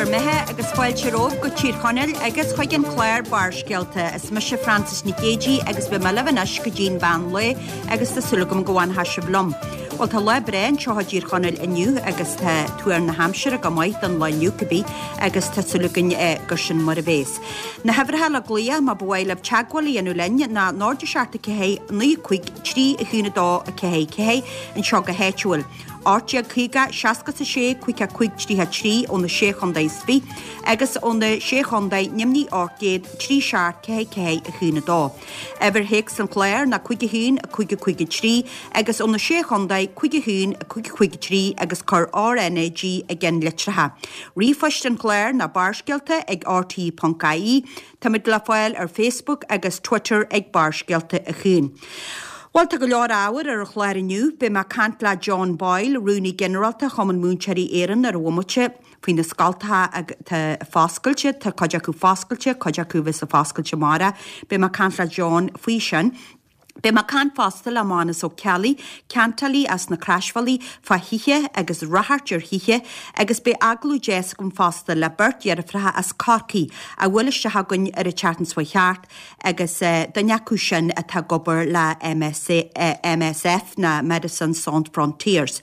mbeatha agus fáilte romhaibh go Tír Chonaill agus chuig an chlár Barrscéalta. Is mise Frances Nic Géadaigh agus beidh mé libh anois go dtí'n mheán lae agus tá súil agam go bhfanfaidh sibh liom. Bhuel tá lá breá anseo i dTír Chonaill inniu agus tá tuar na haimsire go maith don lá inniu cibé agus tá súil againn gur sin mar a bhéas. Na huimhreacha le glaoch má ba mhaith libh teagmháil a dhéanamh linn ná 0 7 4 9 5 3 1 2 4 4 anseo go háitiúil, 1850 66 55 33 ó na Sé Chontae is Fiche agus ó na Sé Chontae Nimhní 800 3 7 4 4 1 2. Uimhir théacs an chláir ná 5 1 5 5 3 agus ó na Sé Chontae 5 1 5 5 3 agus cuir RnaG i gceann litreacha. Ríomhphoist an chláir ná barrscéalta ag rte.ie. Táimid le fáil ar Facebook agus Twitter ag Barrscéalta a Chuain. Bhuel, tá go leor ábhair ar an chlár inniu. Beidh mé ag caint le John Boyle, Rúnaí Ginearálta Chumann Múinteoirí Éireann ar an bhomaite faoi na scoltacha atá foscailte. Tá cuid acu foscailte, cuid acu a bheas ag foscailt amárach. Beidh mé ag caint le John faoi sin. Beidh mé ag caint fosta le Mánus Ó Ceallaigh, ceantálaí as na Croisbhealaí, fá thithe agus ráchairt ar thithe agus beidh agallamh deas agam fosta le beirt dheirfiúracha as Corcaigh a bhuail isteach chugainn ar an tseachtain seo chuaigh thart agus duine acu sin atá ag obair le MSF ná Médecins Sans Frontières.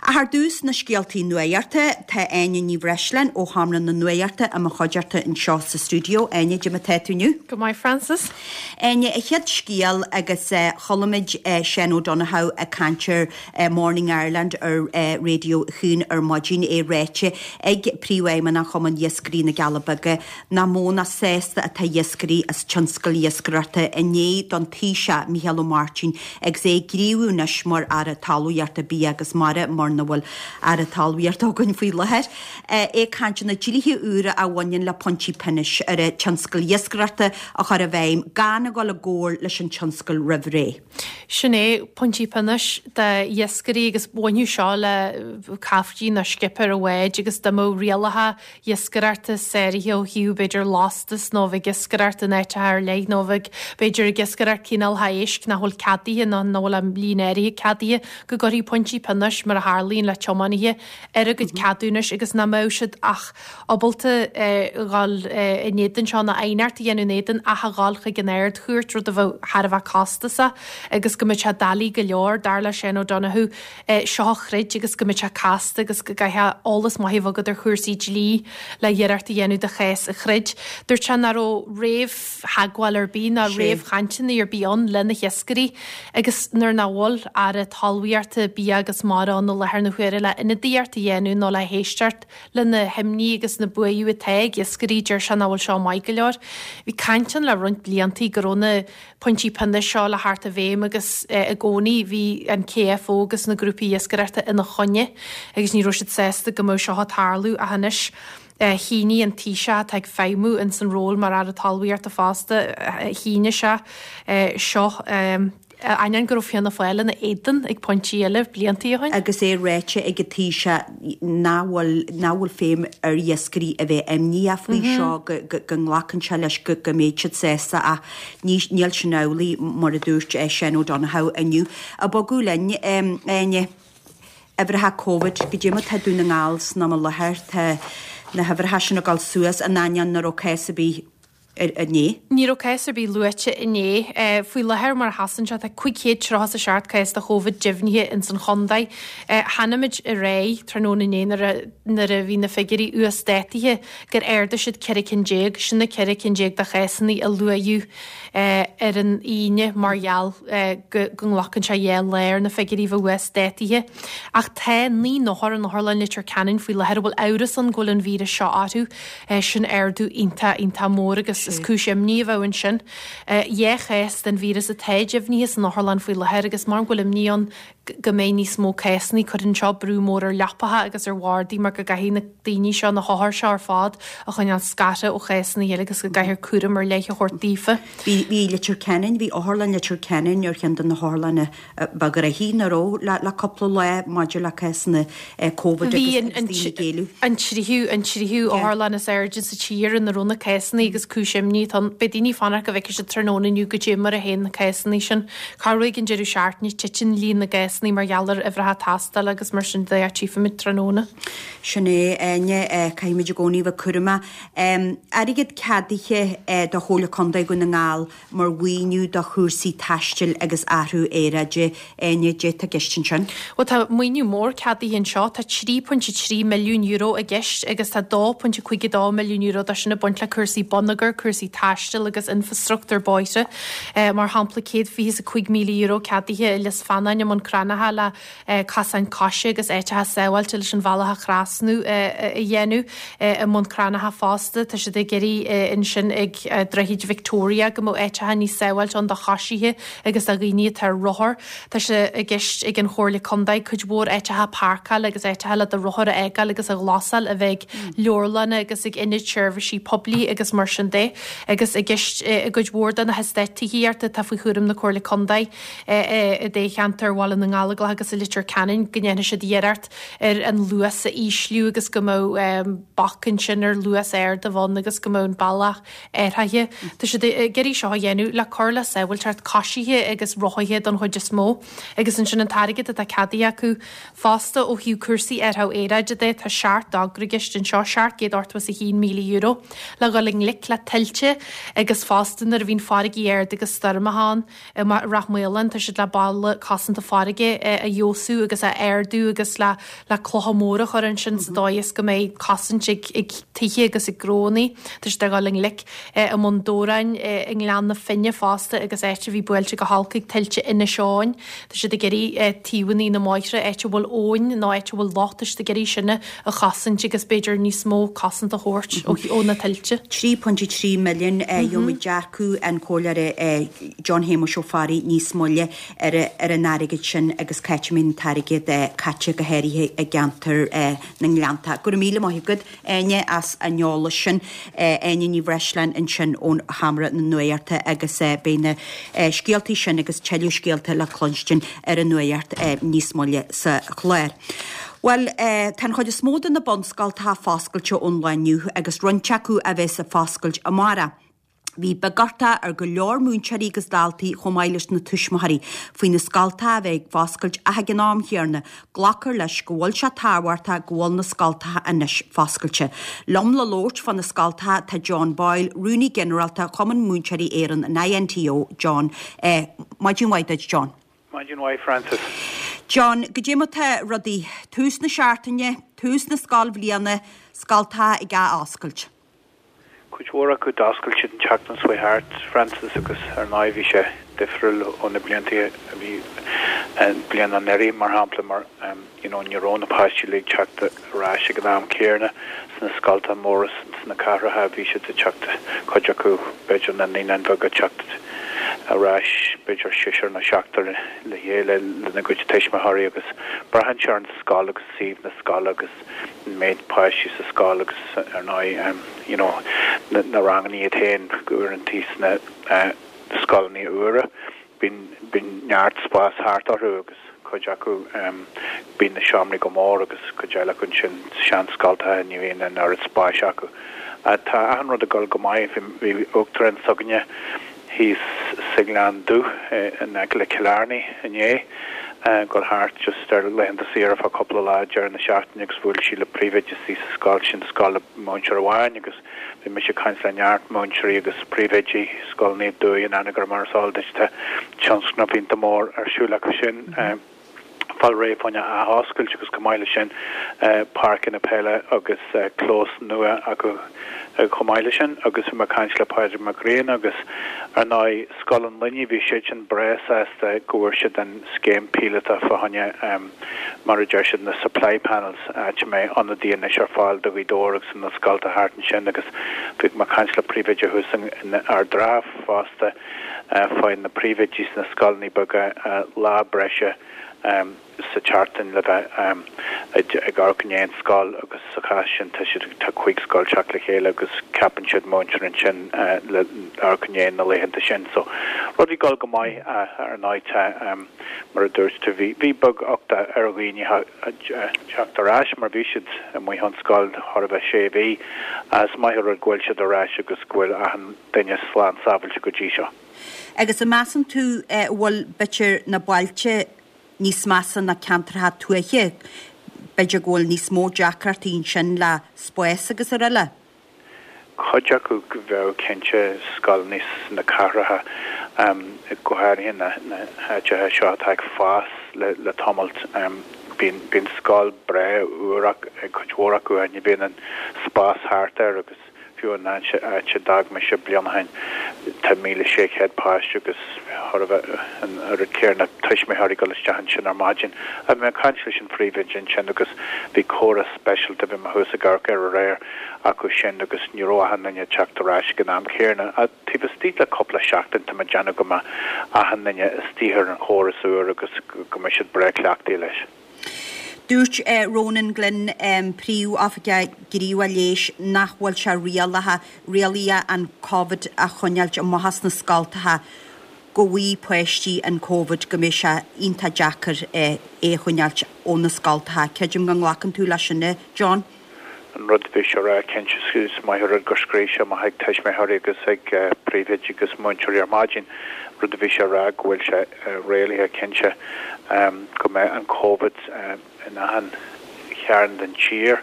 Ach ar dtús na scéaltaí nuachta, tá Áine Ní Bhreisleáin ó Sheomra na Nuachta i mo chuideachta anseo sa stiúideo. Áine, cad é mar atá tú inniu? Go maith Frances. Áine, an chéad scéal agus chuala muid Seán O'Donoghue ag caint ar Morning Ireland ar Raidió 1 ar maidin, é ráite ag Príomhfheidhmeannach Chumann Iascairí na gCealla Beaga nach mó ná sásta atá iascairí as tionscal iascaireachta i ndiaidh don Taoiseach Micheál Ó Máirtín agus é ag gníomhú anois mar Aire Talmhaíochta, Bia agus Mara, mura bhfuil Aire Talmhaíochta againn faoi láthair. É ag caint ar na dlíthe úra a bhaineann le pointí pionóis ar an tionscal iascaireachta a chur i bhfeidhm gan a dhul i gcomhairle leis an tionscal roimh ré. Sin é, pointí pionóis d'iascairí agus bhainfeadh seo le caiftín nó scipéir an bháid agus dá mbeadh rialacha iascaireachta sáraithe ó thaobh b'fhéidir lastas nó a bheith ag iascaireacht in áiteacha ar leith nó a bheith b'fhéidir ag iascaireacht cineálacha éisc nach bhfuil ceadaithe nó nach bhfuil a líon áirithe ceadaithe go gcuirfí pointí pionóis mar a tharlaíonn le tiománaithe ar a gcuid ceadúnais agus nach mbeadh siad ach ábalta dhul in éadan seo nó aighneacht a dhéanamh in éadan ach a dhul chuig an Ard-Chúirt, rud a bheadh thar a bheith costasach agus go mbeadh sé doiligh go leor, dar le Seán O'Donoghue, seo a throid agus go mbeadh sé casta agus go gcaithfeá eolas maith a bheith agat ar chúrsaí dlí le hiarracht a dhéanamh do chás a throid. Dúirt sé nach raibh réamhtheagmháil ar bith ná réamhchainteanna ar bith ann le na hiascairí Agus nuair nach bhfuil Aire Talmhaíochta, Bia agus Mara ann i láthair na huaire le ionadaíocht a dhéanamh nó le héisteacht le na himní agus na buaireamh atá ag iascairí, deir sé nach bhfuil seo maith go leor. Bhí caint ann le roinnt bliantaí go raibh na pointí pionóis seo le theacht i bhfeidhm agus i gcónaí bhí an KFO agus na grúpaí iascaireachta ina choinne agus ní raibh siad sásta go mbeadh seo ag tarlú ach anois Shínigh an Taoiseach, atá ag feidhmiú ins an ról mar Aire Talmhaíochta fosta, shínigh sé seo, ainneoin go raibh Fianna Fáil ina éadan ag pointí eile bliantaí ó shin. Agus é ráite ag an Taoiseach nach bhfuil, nach bhfuil feidhm ar iascairí a bheith imníoch faoi seo, go, go, go nglacann sé leis go, go mbeidh siad sásta ach ní, níl sin amhlaidh mar a dúirt Seán O'Donoghue inniu. Ag bogadh linn, Áine. Uimhreacha Covid, goidé mar atá Dún na nGall san am i láthair, tá na huimhreacha sin ag dul suas in ainneoin nach raibh cás ar bith inné. Ní raibh cás ar bith luaite inné. Faoi láthair mar a sheasann sé tá 537 cás de Chóvid deimhnithe ins an chontae. Chonaic muid aréir tráthnóna inné nuair a bhí na figiúirí uasdátaithe gur ardaigh siad 14 cinn, sin na 14 cinn de chásanna a luadh ar an Aoine mar gheall go nglacann sé dhá lá ar na figiúirí a bheith uasdátaithe. Ach tá 9 n-othar in Otharlann Leitir Ceanainn faoi láthair a bhfuil amhras ann go bhfuil an víreas seo orthu. Sin ardú iontach, iontach mór agus is cúis imní a bheadh ansin. Dhá chás den víreas atá deimhnithe san otharlann faoi láthair agus mar go bhfuil imní ann go mbeidh níos mó cásanna. Cuireann seo brú mór ar leapacha agus ar bhardaí mar go gcaithfidh na daoine seo, na hothair seo ar fad, a choinneáil scartha ó chásanna eile agus go gcaithfear cúram ar leith a thabhairt daofa. Bhí, bhí Leitir Ceanainn, bhí Otharlann Leitir Ceanainn ar cheann de na hotharlanna ba ghnoithí nach raibh le, le cúpla lá maidir le cásanna Covid agus, agus daoine ag éileamh. An tríú, an tríú otharlann is airde sa tír ina raibh na cásanna agus cúis. imní atá ann. Beidh daoine ag fanacht go bhfeicfidh siad tráthnóna inniu goidé mar a théann na cásanna sin. Corruair ag an deireadh seachtaine titeann líon na gcásanna mar gheall ar uimhreacha tástála agus mar sin de. Tchífimid tráthnóna. Sin é, Áine, caithfimid i gcónaí a bheith cúramach. Airgead ceadaithe do Chomhairle Contae Dhún na nGall mar mhaoiniú do chúrsaí taistil agus athrú aeráide. Áine, goidé atá i gceist ansin? Bhuel, tá maoiniú mór ceadaithe anseo. Tá €3.3 milliún i gceist agus tá €2.52 milliún de sin ag baint le cúrsaí bonneagair, cúrsaí taistil agus infreastruchtúr bóithre. Mar shampla, €125,000 ceadaithe i Lios Feanáin i mBun Cranncha le cosáin coise agus áiteacha sábháilte leis an bhealach a thrasnú a dhéanamh i mBun Cranncha fosta. Tá siad ag iarraidh ansin ag Droichead Victoria go mbeadh áiteacha níos sábháilte ann do choisithe agus do dhaoine atá ar rothar. Tá sé i gceist ag an Chomhairle Contae cuid mhór áiteacha páirceála agus áiteacha le do rothar a fhágáil agus a ghlasáil a bheith ag leabharlanna agus ag ionaid seirbhísí poiblí agus mar sin de. Agus i gceist i gcuid mhór de na heastáit tithíochta atá faoi chúram na Comhairle Contae i dtoghcheantar Bhaile na nGallóglach agus i Leitir Ceanainn go ndéanfaidh siad iarracht ar an luas a ísliú agus go mbeadh bac ansin ar luas ard a bheith ann agus go mbeadh an bealach athraithe. Tá siad ag iarraidh seo a dhéanamh le cur le sábháilteacht coisithe agus rothaithe don chuid is mó. Agus ansin an t-airgead atá ceadaithe acu fosta ó thaobh cúrsaí athrú aeráide de, tá seacht dtogra i gceist anseo, €781,000, le dhul i ngleic le tuilte agus fosta nuair a bhíonn farraigí ard agus stoirmeacha ann. I Rath Maoláin, tá siad le balla cosanta farraige a fheabhsú agus a ardú agus le le clocha móra a chur ansin sa dóigh is go mbeidh cosaint ag ag tithe agus ag gnónnaí. Tá siad ag dul i ngleic i mBun Dobhráin, i nGleann na Finne fosta agus áit a bhí buailte go holc ag tuilte Inis Eoghain. Tá siad ag iarraidh taobhanna na mbóithre, áit a bhfuil abhainn nó áit a bhfuil loch, tá siad ag iarraidh sin a chosaint agus b'fhéidir níos mó cosanta a thabhairt ó na tuilte. 3.3 milliún, gheobhaimid dearcadh an Chomhairleora John Shéamuis Ó Fearraigh níos moille ar an airgead sin agus cá háit a mbeidh an t-airgead caite go háirithe i gceantar na nGleannta. Go raibh míle maith agat. Áine as an eolas sin. Áine Ní Bhreisleáin ansin ón Sheomra na Nuachta agus beidh na scéaltaí sin agus tuilleadh scéalta le cluinstin ar an Nuacht níos moille sa chlár. Bhuel, tá an chuid is mó de na bunscoltacha foscailte ón lá inniu agus roinnt acu a bheas ag foscailt amárach. Bhí beaguchtach ar go leor múinteoirí agus daltaí chomh maith leis na tuismitheoirí faoi na scoltacha a bheith ag foscailt ach ag an am chéanna glactar leis go bhfuil sé tábhachtach go bhfuil na scoltacha anois foscailte. Liom le labhairt fá na scoltacha tá John Boyle, Rúnaí Ginearálta Chumann Múinteoirí Éireann, an INTO. John, Maidin mhaith duit John. Maidin mhaith Frances. John, Goidé mar tá rudaí? Tús na seachtaine, tús na scoilbhliana, scoltacha ag athoscailt. Cuid mhór acu d'oscail siad an tseachtain seo chuaigh thart, Frances, agus ar ndóigh bhí sé difriúil ó na blianta a bhí an bliain anuraidh, mar shampla, mar you know ní raibh na páistí uilig ag teacht ar ais ag an am céanna sna scoltacha móra sna cathracha, bhí siad ag teacht, cuid acu b'fhéidir na naíonáin bheaga ag teacht ar ais b'fhéidir seisear nó seachtar le chéile lena gcuid tuismitheoirí agus braitheann sé ar an scoil agus suíomh na scoile agus an méid páistí sa scoil agus ar ndóigh you know na ranganna iad féin uaireantaí sna scoileanna úra bíonn bíonn neart spás thart orthu agus cuid acu bíonn na seomraí go mór agus cuid eile acu ansin seanscoltacha ní bhíonn an oiread spáis acu. Tá achan rud ag dul go maith bhí uachtarán s'againne thíos sa Ghleann Dubh in aice le Cill Airne inné, ag dul thart just ar laethanta saoire fá cúpla lá deireadh na seachtaine agus bhuail sí le príomhoide istigh sa scoil sin, scoil le múinteoir amháin agus bhí mise ag caint le neart múinteoirí agus príomhoidí scoileanna i nDumhaigh in Anagaire mar is eol duit tá tionscnamh iontach mór ar siúl acu sin. Fáil réidh fá choinne athoscailt agus chomh maith leis sin páirceanna peile agus clós nua acu chomh maith leis sin agus bhí mé ag caint le Pádraig Mac Grianna agus ar ndóigh Scoil an Luinnigh bhí siad sin breá sásta go bhfuair siad an scéim píolótach fá choinne mar a deir siad na supply panels áit a mbeidh ionadaí anois ar fáil do Ghaoth Dobhair agus na scolta thart ansin agus bhí mé ag caint le príomhoide thuas in Ard an Rátha fosta Faigheann na príomhoidí sna scoileanna beaga lá breise sa tseachtain le bheith Ag amharc in aon scoil agus sa chás sin tá siad, tá 5 scoil teacht le chéile agus ceapann siad múinteoir ansin le amharc i ndiaidh na laethanta sin. So rudaí ag dul go maith ar ndóigh tá mar a dúirt tú bhí, bhí beag uchtach ar dhaoine teacht ar ais mar bhí siad amuigh ón scoil chóir a bheith sé mhí. Is maith an rud go bhfuil siad ar ais agus go bhfuil achan duine slán sábhailte go dtí seo. Agus an measann tú bhfuil b'fhéidir na bailte níos measa ná ceantracha tuaithe, b'fhéidir go bhfuil níos mó deacrachtaí ansin le spás agus araile? Cuid acu bheadh cinnte, scoileanna sna cathracha, go háirithe na háiteacha seo atá ag fás le tamalt. Bíonn bíonn scoil breá úr ag cuid mhór acu ach ní bhíonn an spás thart air agus Fiú an áit a d'fhág mise bliain ó shin, tá 1,600 páiste agus chóir a bheith an oiread céanna tuismitheoirí ag dul isteach ansin ar maidin. Bhí mé ag caint leis an phríomhoide ansin agus bhí córas speisialta, bhí mé thuas ag amharc air aréir, acu sin agus ní raibh achan duine ag teacht ar ais ag an am céanna. Taobh istigh le cúpla seachtain tá mé ag déanamh go mbeidh achan duine istigh ar an chóras úr agus go mbeidh siad breá cleachtaithe leis. Dúirt Ronan Glynn, Príomh-Oifigeach Gníomhach Leighis, nach bhfuil sé rialaithe, rialaithe an Covid a choinneáilt amach as na scoltacha, go bhfaighidh páistí an Covid, go mbeidh sé iontach deacair é a choinneáilt ó na scoltacha. Creidim go nglacann tú leis sin, a John? An rud a bhí sé a rá, cinnte, is maith an rud gur scríobh sé amach ag tuismitheoirí agus ag príomhoidí agus múinteoirí ar maidin, rud a bhí sé a rá go bhfuil sé réalaithe cinnte go mbeidh an Covid in achan chearn den tír.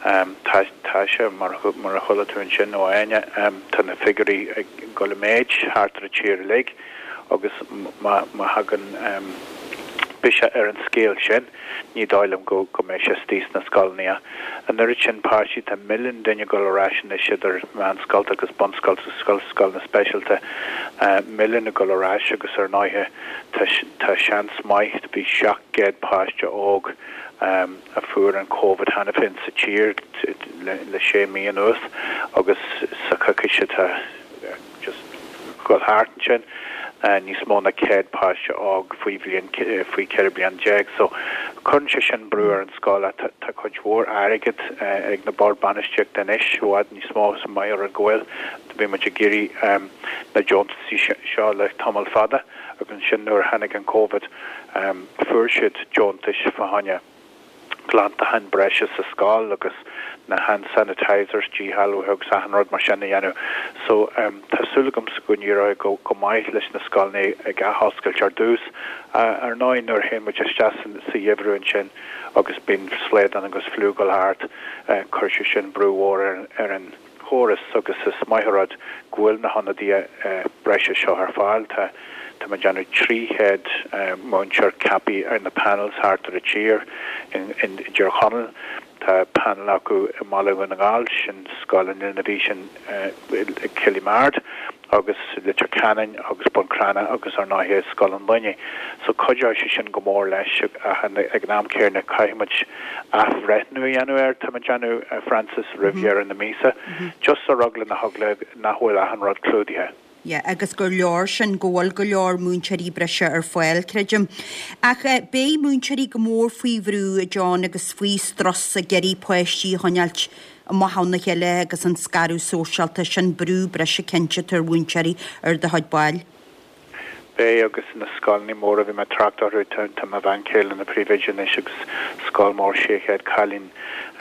Tá tá sé, mar mar a chuala tú ansin ó Áine, tá na figiúirí ag dul i méid thart ar an tír uilig agus má má thagann biseach ar an scéal sin, Ní dóigh liom go go mbeidh sé istigh sna scoileanna. An oiread sin páistí, tá milliún duine ag dul ar ais anois idir mheánscoilte agus bunscoilte agus scoileanna speisialta, milliún ag dul ar ais agus ar ndóighe tá tá seans maith, bhí 700 páiste óg a fuair an Covid cheana féin sa tír le le sé mí anuas agus sa choicís atá just dul thart ansin, níos mó ná 100 páiste óg faoi bhliain, faoi 14 bliain. So, cuireann sé sin brú ar an scoil ach tá cuid mhór airgead ag na boird bainistíochta anois, i bhfad níos mó is maith an rud go bhfuil. Bhí muid ag iarraidh na deontaisí seo le tamall fada agus ansin nuair a tháinig an Covid, fuair siad deontais fá choinne. glantachán breise sa scoil agus na hand sanitisers, díshealbhaithe agus achan rud mar sin a dhéanamh. So tá súil agamsa go n-éireoidh go go maith leis na scoileanna ag athoscailt ar dtús. Ar ndóigh nuair a théann muid isteach sa gheimhreadh ansin agus bíonn slaghdán agus fliú ag dul thart, cuirfidh sé sin brú mhór ar an chóras agus is maith an rud go bhfuil na hionadaithe breise seo ar fáil. Tá tá mé ag déanamh 300 múinteoir ceaptha ar na panels thart ar an tír in i dTír Chonaill. Tá panel acu i mBaile Dhún na nGall, sin Scoil an Linbh sin i Killymard agus Leitir Ceanainn agus Bun Cranncha agus ar ndóighe Scoil an Luinnigh. So cuideoidh sé sin go mór leis ach ag an am céanna caithfidh muid athbhreithniú a dhéanamh air, tá mé ag déanamh, a Frances, roimh dheireadh na míosa, just ar eagla na heagla nach bhfuil achan rud clúdaithe. Yeah, agus gur leor sin, go bhfuil go leor múinteoirí breise ar fáil, creidim. Ach beidh múinteoirí go mór faoi bhrú, a John, agus faoi strus ag iarraidh páistí a choinneáilt amach óna chéile agus an scaradh sóisialta, sin brú breise cinnte atá ar mhúinteoirí ar do chuid baill. Beidh, agus na scoileanna móra, bhí mé ag trácht orthu, tá mo bhean chéile ina príomhoide anois agus scoil mór 600 cailín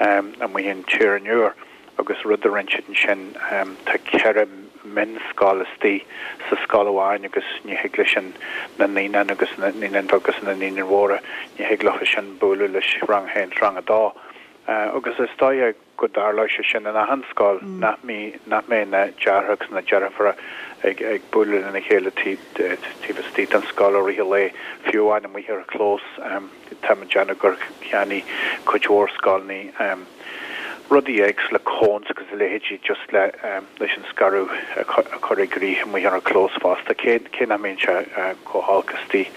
amuigh in Tír an Iúir agus rud a rinne siad ansin, tá ceithre mhionscoil istigh sa scoil amháin agus ní thig leis an na naíonáin agus na naíonáin bheaga agus na naíonáin mhóra, ní thig leo sin bualadh leis rang a haon is rang a dó. Agus is dóigh go dtarlóidh sé sin in achan scoil, nach mbeidh na deartháireacha agus na deirfiúracha ag ag bualadh lena chéile taobh istigh den scoil i rith an lae, fiú amháin amuigh ar an chlós. Tá mé ag déanamh gur cheannaigh cuid mhór scoileanna rudaí éagsúla, cones agus a leithéidí just le leis an scaradh a chur i gcrích amuigh ar an chlós fosta, cé cé nach mbíonn sé chomh holc istigh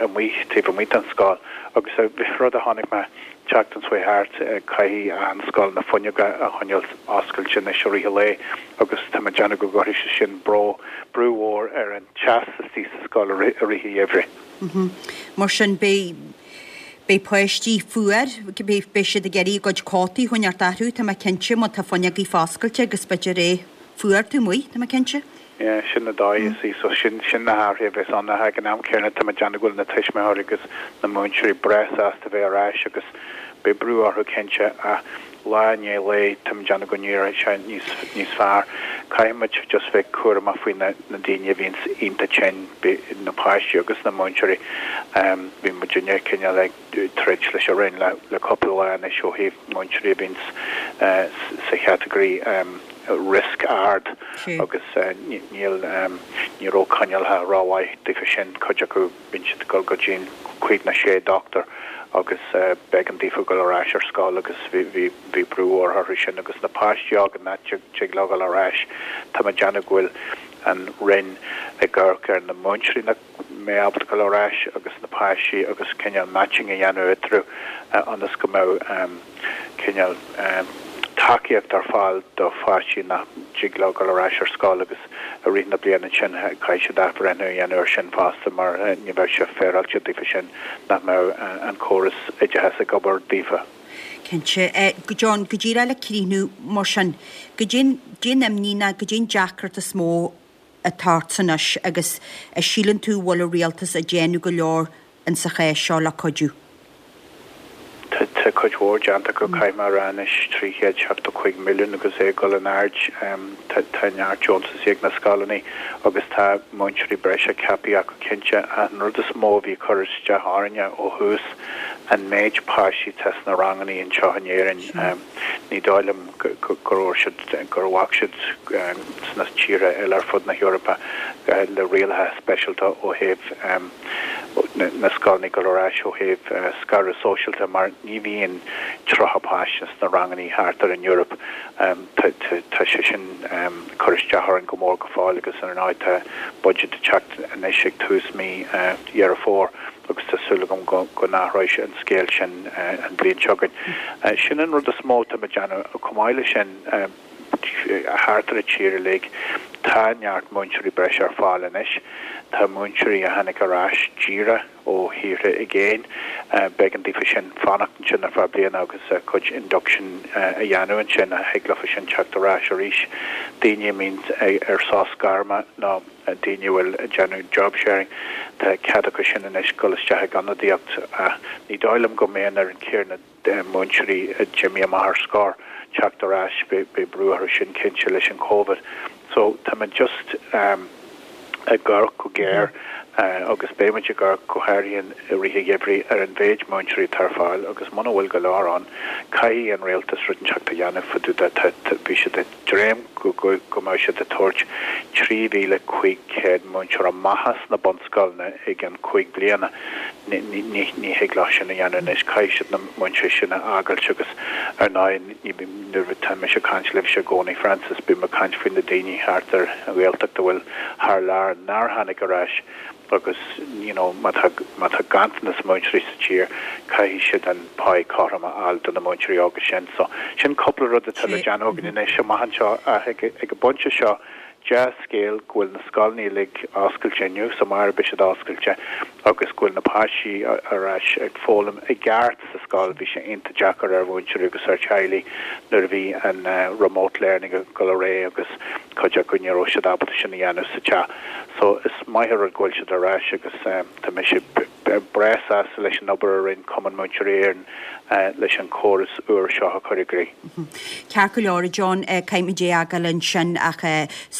amuigh taobh amuigh den scoil. Agus rud a chonaic mé. tseachtain seo thart, caithfidh achan scoil na fuinneoga a choinneáil oscailte anois i rith an lae agus tá mé ag déanamh go gcuirfidh sé sin brú brú mhór ar an teas istigh sa scoil i rith an gheimhridh. Mar sin, beidh. Beidh páistí fuar, beidh siad ag iarraidh a gcuid cótaí a choinneáilt orthu, tá mé cinnte, má tá fuinneogaí foscailte agus b'fhéidir é fuar taobh amuigh, tá mé cinnte. Yeah, sin an dóigh is í, so sin, sin na hathruithe a bheas ann. Ach ag an am céanna tá mé ag déanamh go bhfuil na tuismitheoirí agus na múinteoirí breá sásta bheith ar ais agus beidh brú orthu cinnte ach lá i ndiaidh lae tá mé ag déanamh go n-éireoidh sé níos, níos fearr. Caithfidh muid just bheith cúramach faoi na, na daoine a bhíonns iontach tinn, na páistí agus na múinteoirí. Bhí muidinne cineál ag. troid leis an Roinn le cúpla lá anois ó thaobh múinteoirí a bhíonns sa chatagóir riosca ard agus níl, ní raibh coinníollacha rómhaith daofa sin, cuid acu bíonn siad ag dul go dtí an cúig nó sé dochtúir agus b'éigean daofa dul ar ais ar scoil agus bhí bhí brú mhór orthu sin agus na páistí óga nach dtig leo dul ar ais, tá mé ag déanamh go bhfuil an Roinn ag amharc ar na múinteoirí nach. mbeidh ábalta dul ar ais agus na páistí agus cineál matching a dhéanamh eatarthu ionas go mbeadh cineál tacaíocht ar fáil do pháistí nach dtig leo dul ar ais ar scoil agus i rith na bliana ansin caithfidh siad athbhreithniú a dhéanamh ar sin fosta mar ní bheadh sé féaráilte daofa sin nach mbeadh an córas oideachais ag obair daofa. Cinnte. John, go díreach le críochnú mar sin, goidé an imní nó goidé an deacracht is mó atá ort anois agus a síleann tú bhfuil an rialtas ag déanamh go leor in sa chás seo le cuidiú? Tá cuid mhór déanta acu, caithfidh mé a rá anois, 375 milliún agus é ag dul in airde. Tá neart deontasaí ag na scoileanna agus tá múinteoirí breise ceaptha acu cinnte. Ach an rud is mó a bhí ag cur isteach orainne ó thús, an méid páistí atá sna ranganna anseo in Éirinn. Ní dóigh liom go raibh siad, gur bhac siad sna tíortha eile ar fud na hEorpa le rialacha speisialta ó thaobh na scoileanna dul ar ais ó thaobh scaradh sóisialta mar ní bhíonn 30 páiste sna ranganna thart ar an Eoraip. Tá sé sin ag cur isteach orainn go mór go fóill agus ar ndóigh tá budget ag teacht anois ag tús mí Dheireadh Fómhair. agus tá súil agam go n-athróidh an scéal sin an bhliain seo chugainn. Sin an rud is mó atá muid ag déanamh. Chomh maith leis sin, thart ar an tír uilig, tá neart múinteoirí breise ar fáil anois. Tá múinteoirí a tháinig ar ais díreach ó thíortha i gcéin, b'éigean daofa sin fanacht ansin ar feadh bliana agus a gcuid induction a dhéanamh ansin, thig leofa sin teacht ar ais arís. Daoine a mbíonn ar sos gairme nó. daoine a bhfuil ag déanamh job sharing, tá cead acu sin anois dul isteach ag ionadaíocht ach ní dóigh liom go mbeidh an oiread céanna múinteoirí a d'imigh amach ar scor teacht ar ais, beidh brú orthu sin cinnte leis an Covid. So tá muid just ag amharc go géar agus beidh muid ag amharc go háirithe i rith an gheimhridh ar an mhéid múinteoirí atá ar fáil agus muna bhfuil go leor ann caithfidh an rialtas rud inteacht a dhéanamh fá dtaobh de, bhí siad ag dréim go mbeadh siad ag tabhairt 3,500 múinteoir amach as na bunscoileanna i gceann 5 bliana. Ní thig leo sin a dhéanamh anois. Caithfidh siad na múinteoirí sin a fhágailt agus ar ndóigh nuair atá mise ag caint libhse i gcónaí Frances, bím ag caint faoi na daoine thart ar an Ghaeltacht a bhfuil thar lear nár tháinig ar ais. agus you know má tá má tá ganntanas múinteoirí sa tír caithfidh siad an pá cothrom a fháil do na múinteoirí óga sin. So sin cúpla rud atá le déanamh againn anois amach anseo ach ag ag an bpointe seo dea-scéal go bhfuil na scoileanna uilig oscailte inniu is amárach beidh siad oscailte agus go bhfuil na páistí ar ais ag foghlaim i gceart sa scoil. Bhí sé iontach deacair ar mhúinteoirí agus ar teaghlaigh nuair a bhí an remote learning ag dul ar aghaidh agus cuid acu ní raibh siad ábalta sin a dhéanamh sa teach. So is maith an rud go bhfuil siad ar ais agus tá mise breá sásta leis an obair a rinne Cumann Múinteoirí Éireann leis an chóras úr seo a chur i gcrích. Ceart go leor, a John, caithfimid é a fhágáil ansin ach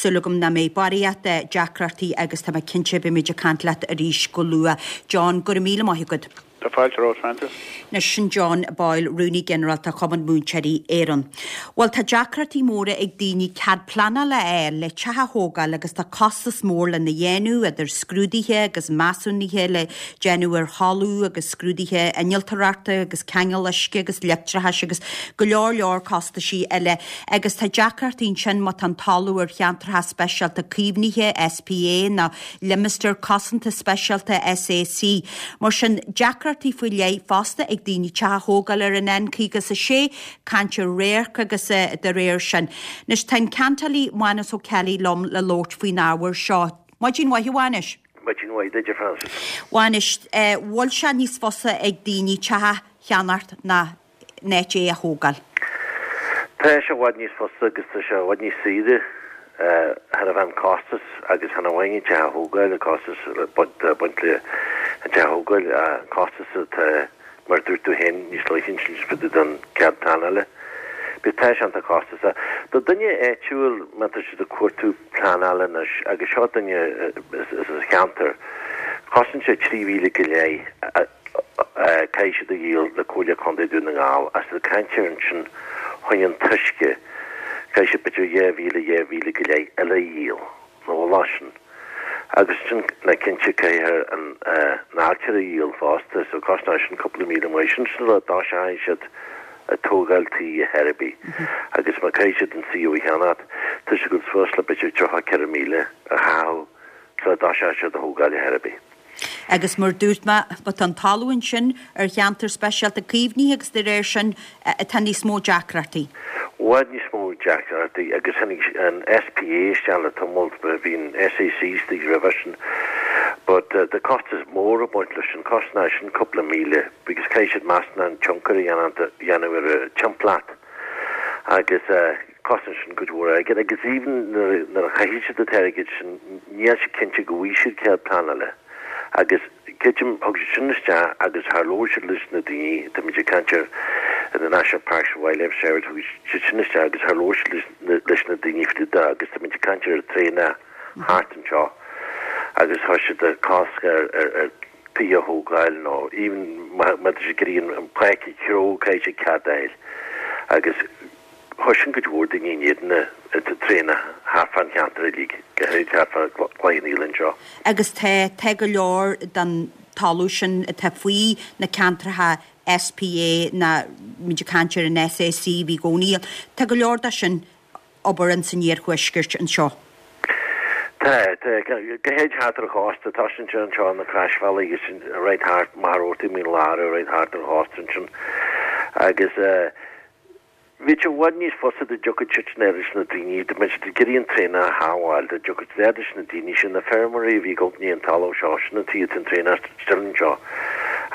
súil agam nach mbeidh barraíocht deacrachtaí agus tá mé cinnte beimid ag caint leat arís go luath. John, go raibh míle maith agat. Tá fáilte romhat, Frances. Anois sin John Boyle, Rúnaí Ginearálta Chumann Múinteoirí Éireann. Bhuel, tá deacrachtaí móra ag daoine cead pleanála a fháil le teach a thógáil agus tá costas mór lena dhéanamh, idir scrúduithe agus measúnuithe le déanamh ar thalamh agus scrúduithe innealtóireachta agus ceangal uisce agus leictreachais agus go leor leor costaisí eile. Agus tá deacrachtaí ansin má tá an talamh ar cheantracha speisialta caomhnaithe, SPA, nó Limistéar Cosanta Speisialta, SAC. Mar sin, deacrachtaí faoi leith fosta ag daoine teach a thógáil ar an N56, caint ar radharc agus dá réir sin. Anois, tá an ceantálaí Mánus Ó Ceallaigh liom le labhairt faoin ábhar seo. Maidin mhaith, a Mhánais. Maidin mhaith duit, a Frances. Bhuel anois, bhfuil sé níos fusa ag daoine teach a cheannacht ná in áit é a thógáil? Tá sé i bhfad níos fusa agus tá sé i bhfad níos saoire thar a bheith an costas agus chan amháin an teach a thógáil, an costas atá ag baint le an teach a thógáil, an costas atá, mar a dúirt tú féin níos luaithe ansin, fá dtaobh den cead pleanála. But tá sé iontach costasach. Do duine áitiúil, má tá siad ag cuartú pleanála anois, agus seo duine as an cheantar, cosnaíonn sé 3,000 go leith caithfidh siad a dhíol le Comhairle Contae Dún na nGall agus ag caint ar ansin fá choinne an t-uisce, caithfidh siad b'fhéidir 2,000, 2,000 go leith eile a dhíol, nó a lá sin. Agus ansin ná cinnte caithfidh an ailtire a dhíol fosta, so cosnóidh sin cúpla míle maith. Sin sin rud dá seachain siad ag tógáil tí ar chor ar bith agus má caithfidh siad an suíomh a cheannacht, tá siad ag dul suas le b'fhéidir 34,000 a chaitheamh sula dtoiseoidh siad a thógáil ar chor ar bith. Agus mar dúirt mé, má tá an talamh ansin ar cheantar speisialta caomhnaithe agus de réir sin tá níos mó deacrachtaí. I bhfad níos mó deacrachtaí agus tháinig an SPA isteach le tamall, bhí an SAC istigh roimhe sin but tá costas mór ag baint leis sin, cosnóidh sin cúpla míle because caithfidh siad measúnú an tionchar a dhéanamh ar an timpeallacht agus Cosnaíonn sin cuid mhór airgid agus even nuair a chaithfidh siad an t-airgead sin níl sé cinnte go bhfaighidh siad cead pleanála agus creidim thug siad sin isteach agus char labhair siad leis na daoine, táimid ag caint ar the National Parks and Wildlife Service, thug siad sin isteach agus char labhair siad leis na daoine faoi de agus táimid ag caint ar traenach thart anseo agus chuir siad cosc ar ar tithe a thógáil nó even má tá siad ag iarraidh an pháirc a chreo caithfidh siad cead a fháil agus Chuir sin cuid mhór daoine in éadan na traenach thart fán cheantar uilig, go háirid thart fá Cloich Cheann Fhaola anseo. Agus tá, tá go leor den talamh sin atá faoi na ceantracha SPA ná muid ag caint ar an SAC a bhí i gcónaí, tá go leor de sin obair ins an iarthuaisceart anseo. Tá, tá, go háirid thart ar an chósta, tá sin anseo na Croisbhealaí agus right thart, Machaire Rabhartaigh, Mín Lárach, right thart ar an chósta ansin. Agus eh, Bheadh sé i bhfad níos fusa dá dtiocfadh siad sin leis na daoine, dá mbeadh siad ag iarraidh an traenach a shábháil, dá dtiocfadh siad leis na daoine sin, na feirmeoirí a bhí ag dul an talamh seo, sin an tuige atá an traenach still anseo,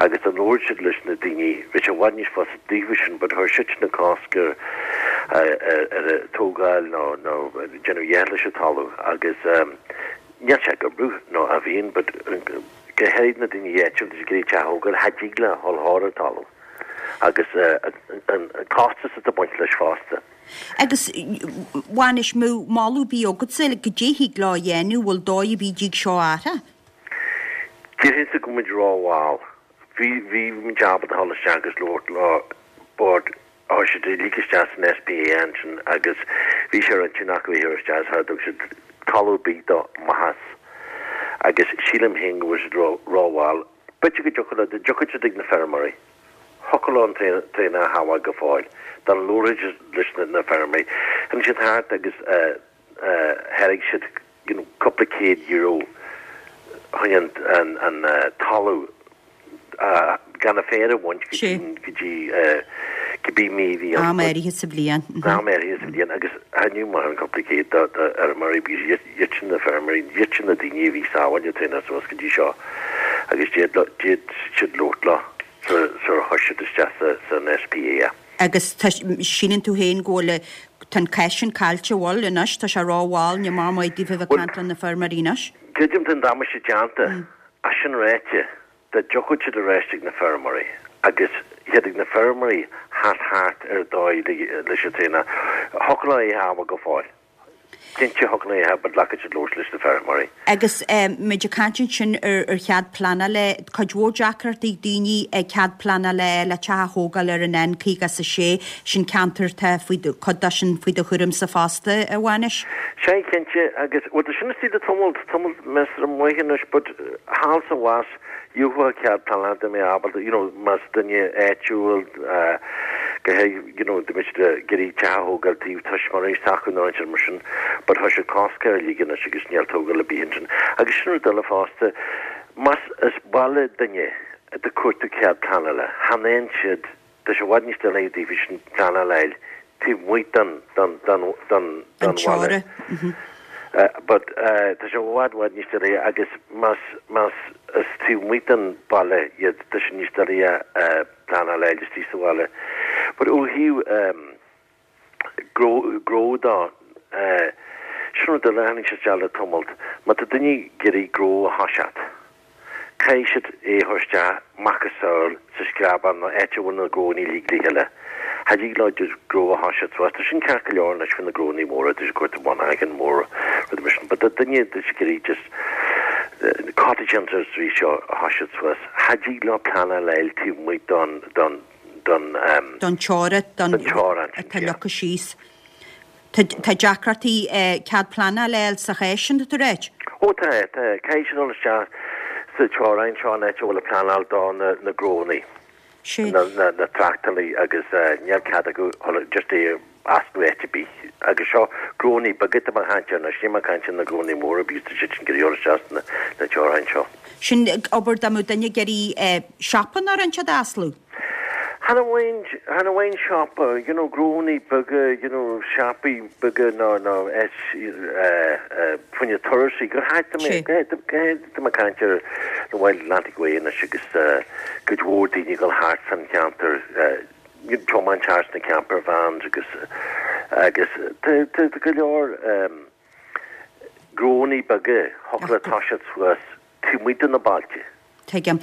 agus dá labhródh siad leis na daoine, bheadh sé i bhfad níos fusa daofa sin, but chuir siad sin an cosc ar ar an tógáil nó nó déanamh a dhath leis an talamh agus níl sé ag oibriú nó a bhíonn, but go háirid na daoine áitiúil, tá siad ag iarraidh teach a thógáil, cha dtig leo a dhul thar an talamh. agus an costas atá ag baint leis fosta. Agus bhuel anois, mbeadh moladh ar bith agatsa goidé thig leo a dhéanamh, bhfuil dóigh ar bith dtig seo a athrú? Déarfainnse go bhfuil muid rómhall. Bhí, bhí muid ábalta a dhul isteach agus labhairt leo but chuir siad uilig isteach san SPA ansin agus bhí sé ar intinn acu é a chur isteach is char thug siad talamh ar bith do mhaitheas agus sílim féin go bhfuil siad rómhall. B'fhéidir go dtiocfadh leo, dá dtiocfadh siad ag na feirmeoirí, thiocfadh leo an traenach a shábháil go fóill, dá labhródh siad leis na feirmeoirí. Tháinig siad thart agus thairg siad you know cúpla céad euro chun an talamh gan an féar a bhaint go dtí cibé mí a bhí ann. Am áirithe sa bhliain. Am áirithe sa bhliain agus thaitneodh maith an cúpla céad do fheirmeoirí because iad sin na feirmeoirí, iad sin na daoine a bhí ag sábháil an traenach suas go dtí seo agus d'fhéad siad labhairt leo sular chuir siad isteach san SPA é. Agus tá, síleann tú féin go bhfuil, tá an cath sin caillte, bhfuil, anois, tá sé rómhall, ní maith maith daofa a bheith ag caint le na feirmeoirí anois. Creidim tá an damáiste déanta, ach sin ráite, Dá dtiocfadh siad ar ais ag na feirmeoirí agus thiocfadh na feirmeoirí theacht thart ar dóigh leis an traenach, thiocfadh leo é a shábháil go fóill. Cinnte thiocfadh leo é a but glacaid siad labhairt leis na feirmeoirí. Agus muid ag caint ansin ar chead pleanála, cuid mhór deacrachtaí ag daoine ag cead pleanála le teach a thógáil ar an N56, sin ceantar atá faoi, cuid de sin faoi do chúramsa fosta, a Mhánais. Sea, cinnte, agus, bhuel, tá sin istigh le tamall, tamall measartha maith anois, but thall is abhus, gheofá cead pleanála dá mbeifeá ábalta, you know, más duine áitiúil, go háirithe, you know, dá mbeadh siad ag iarraidh teach a thógáil taobh tuismitheoirí s'acu nó aon rud mar sin, but tá sé cosctha uilig anois agus níl tógáil ar bith ansin. Agus sin rud eile fosta, más as baile duine atá ag cuartú cead pleanála, chan fhaigheann siad, Tá sé i bhfad níos doiligh daofa sin pleanáil a fháil taobh amuigh den bhaile. But tá sé i bhfad, bhfad níos doilighe agus más, más is taobh amuigh den baile iad tá sé níos doilighe pleanáil a fháil istigh sa bhaile. But ó thaobh gnó, gnó de, sin rud eile a tháinig sé isteach le tamalt, má tá duine ag iarraidh gnó a thoiseacht, Caithfidh siad é a chur isteach macasamhail sa screabán nó áit a bhfuil na gnónnaí uilig le chéile. Cha dtig leo just gnó a thoiseacht suas. Tá sin ceart go leor anois faoi na gnónnaí móra, tá siad ag cuartú monarchan mór, rudaí mar sin. But do duine tá siad ag iarraidh just cottage industry seo a thoiseacht suas, cha dtig leo pleanáil a fháil taobh amuigh don, don, don, don teorainn, don teorainn sin, atá leagtha síos. Tá deacrachtaí cead pleanála a fháil sa chás sin, tá tú ag ráit? Ó tá, tá. Caithfidh siad dul isteach sa teorainn seo an áit a bhfuil an pleanáil do na gnónnaí, na tráchtálaí agus níl cead acu just é a osclú áit ar bith. Agus seo gnónnaí beaga atá mé ag caint air anois, níl mé ag caint ar na gnónnaí móra because tá siad sin ag iarraidh dul isteach sna teorainn seo. Sin obair dá mbeadh duine ag iarraidh siopa nó rud inteacht a osclú? Chan amháin, chan amháin siopa, you know, gnónnaí beaga, you know, siopaí beaga nó, nó áit, eh, eh, fá choinne turasóirí, go háirithe, tá mé, go háirithe, go háirithe tá mé ag caint ar an Wild Atlantic Way anois agus, eh, cuid mhór daoine ag dul thart san cheantar, eh, tiomáint thart sna camper vans agus, agus tá, tá, tá go leor, em, gnónnaí beaga, thiocfadh leo toiseacht suas taobh amuigh de na bailte. Tuigim.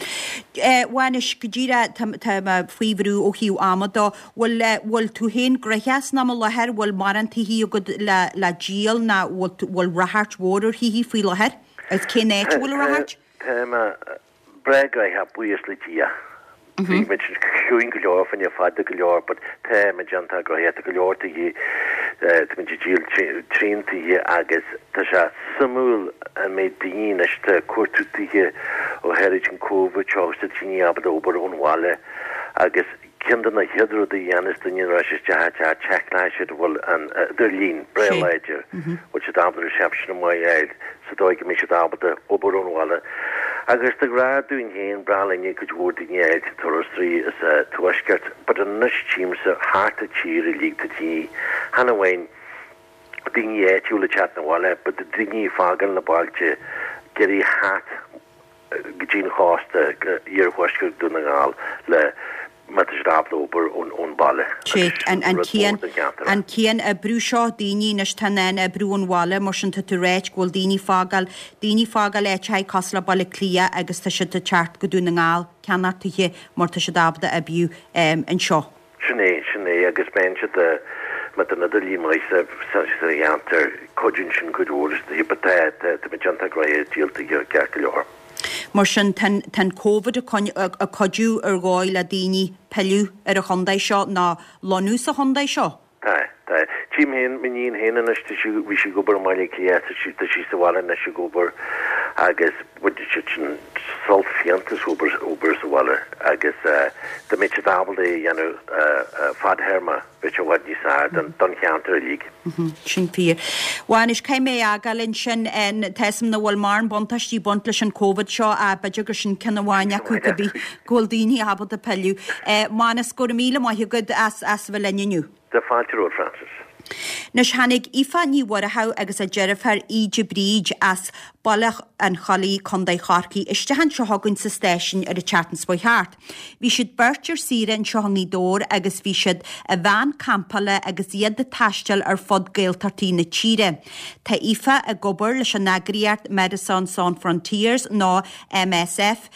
Mhánuis, go díreach, tá, tá mé faoi bhrú ó thaobh ama dó. Bhfuil, bhfuil tú féin gnoitheach san am i láthair, bhfuil mórán tithe agat le, le díol nó bhfuil, bhfuil ráchairt mhór ar thithe faoi láthair? Agus cén áit a bhfuil an ráchairt? Tá mé breá gnoitheach, buíochas le Dia. Bhí muid ciúin go leor fá choinne fada go leor but tá muid iontach gnoitheach, tá go leor tithe, tá muid ag díol trian tithe agus tá sé suimiúil an méid daoine anois atá ag cuartú tithe ó tháinig an Covid seo agus tá daoine ábalta obair ón bhaile agus ceann de na chéad rudaí a dhéanas duine nuair a théann siad isteach i dteach seiceálann siad an bhfuil an idirlíon breá láidir, bhfuil siad ábalta reception maith a fháil sa dóigh go mbeidh siad ábalta obair ón bhaile. Agus de ghnáth dúinn féin, breá linne cuid mhór daoine a fháil sa turasóirí sa tuaisceart, but anois tchímse thart an tír uilig tá daoine, chan amháin daoine áitiúla ag teacht 'na bhaile, but daoine ag fágáil na bailte, ag iarraidh theacht go dtí an chósta, go iarthuaisceart Dhún na nGall le má tá siad ábalta obair ón bhaile agus sin rud mór don cheantar. An cian-oibriú seo, daoine anois atá in ann oibriú ón bhaile, mar sin tá tú ag ráit go bhfuil daoine ag fágáil, daoine ag fágáil áiteacha cosúil le Baile Átha Cliath agus tá siad ag teacht go Dún na nGall, ceannacht tithe mar tá siad ábalta oibriú anseo. Sin é, sin é, agus bíonn siad, má tá an idirlíon maith sa, sa cheantar, cuidíonn sin cuid mhór leis na tithe, but tá, tá, tá muid iontach gnoitheach ag díol tithe ceart go leor. Mar sin, tá an, tá an Covid ag ag cuidiú ar dhóigh le daoine pilleadh ar an chontae seo nó lonnú sa chontae seo. Tá, tá. Tchím féin, m'iníon féin anois, tá sí, bhí sí ag obair i mBaile Átha Cliath, tá sí, tá sí sa bhaile anois ag obair agus baineann siad sin sult fiánta as obair, obair sa bhaile agus dá mbeadh siad ábalta é a dhéanamh fadthéarma, bheadh sé i bhfad níos fearr don, don cheantar uilig. Sin fíor. Bhuel anois, caithfidh mé a fhágáil ansin, tá 'fhios a'm nach bhfuil mórán buntáistí ag baint leis an Covid seo ach b'fhéidir gur sin ceann amháin acu cibé go bhfuil daoine ábalta pilleadh. Mánas, go raibh míle maith agat as as a bheith linn inniu. Tá fáilte romhat, Frances. Anois tháinig Aoife Ní Mhuireadhaigh agus a deirfiúr Íde Bríd as Baile an Chollaigh, Co. Chorcaí, isteach anseo chugainn sa stáisiún ar an tseachtain seo chuaigh thart. Bhí siad beirt ar saoire anseo i nGaoth Dobhair agus bhí siad i veain campála agus iad ag taisteal ar fud Gaeltachtaí na tíre. Tá Aoife ag obair leis an eagraíocht Médecins Sans Frontières nó MSF,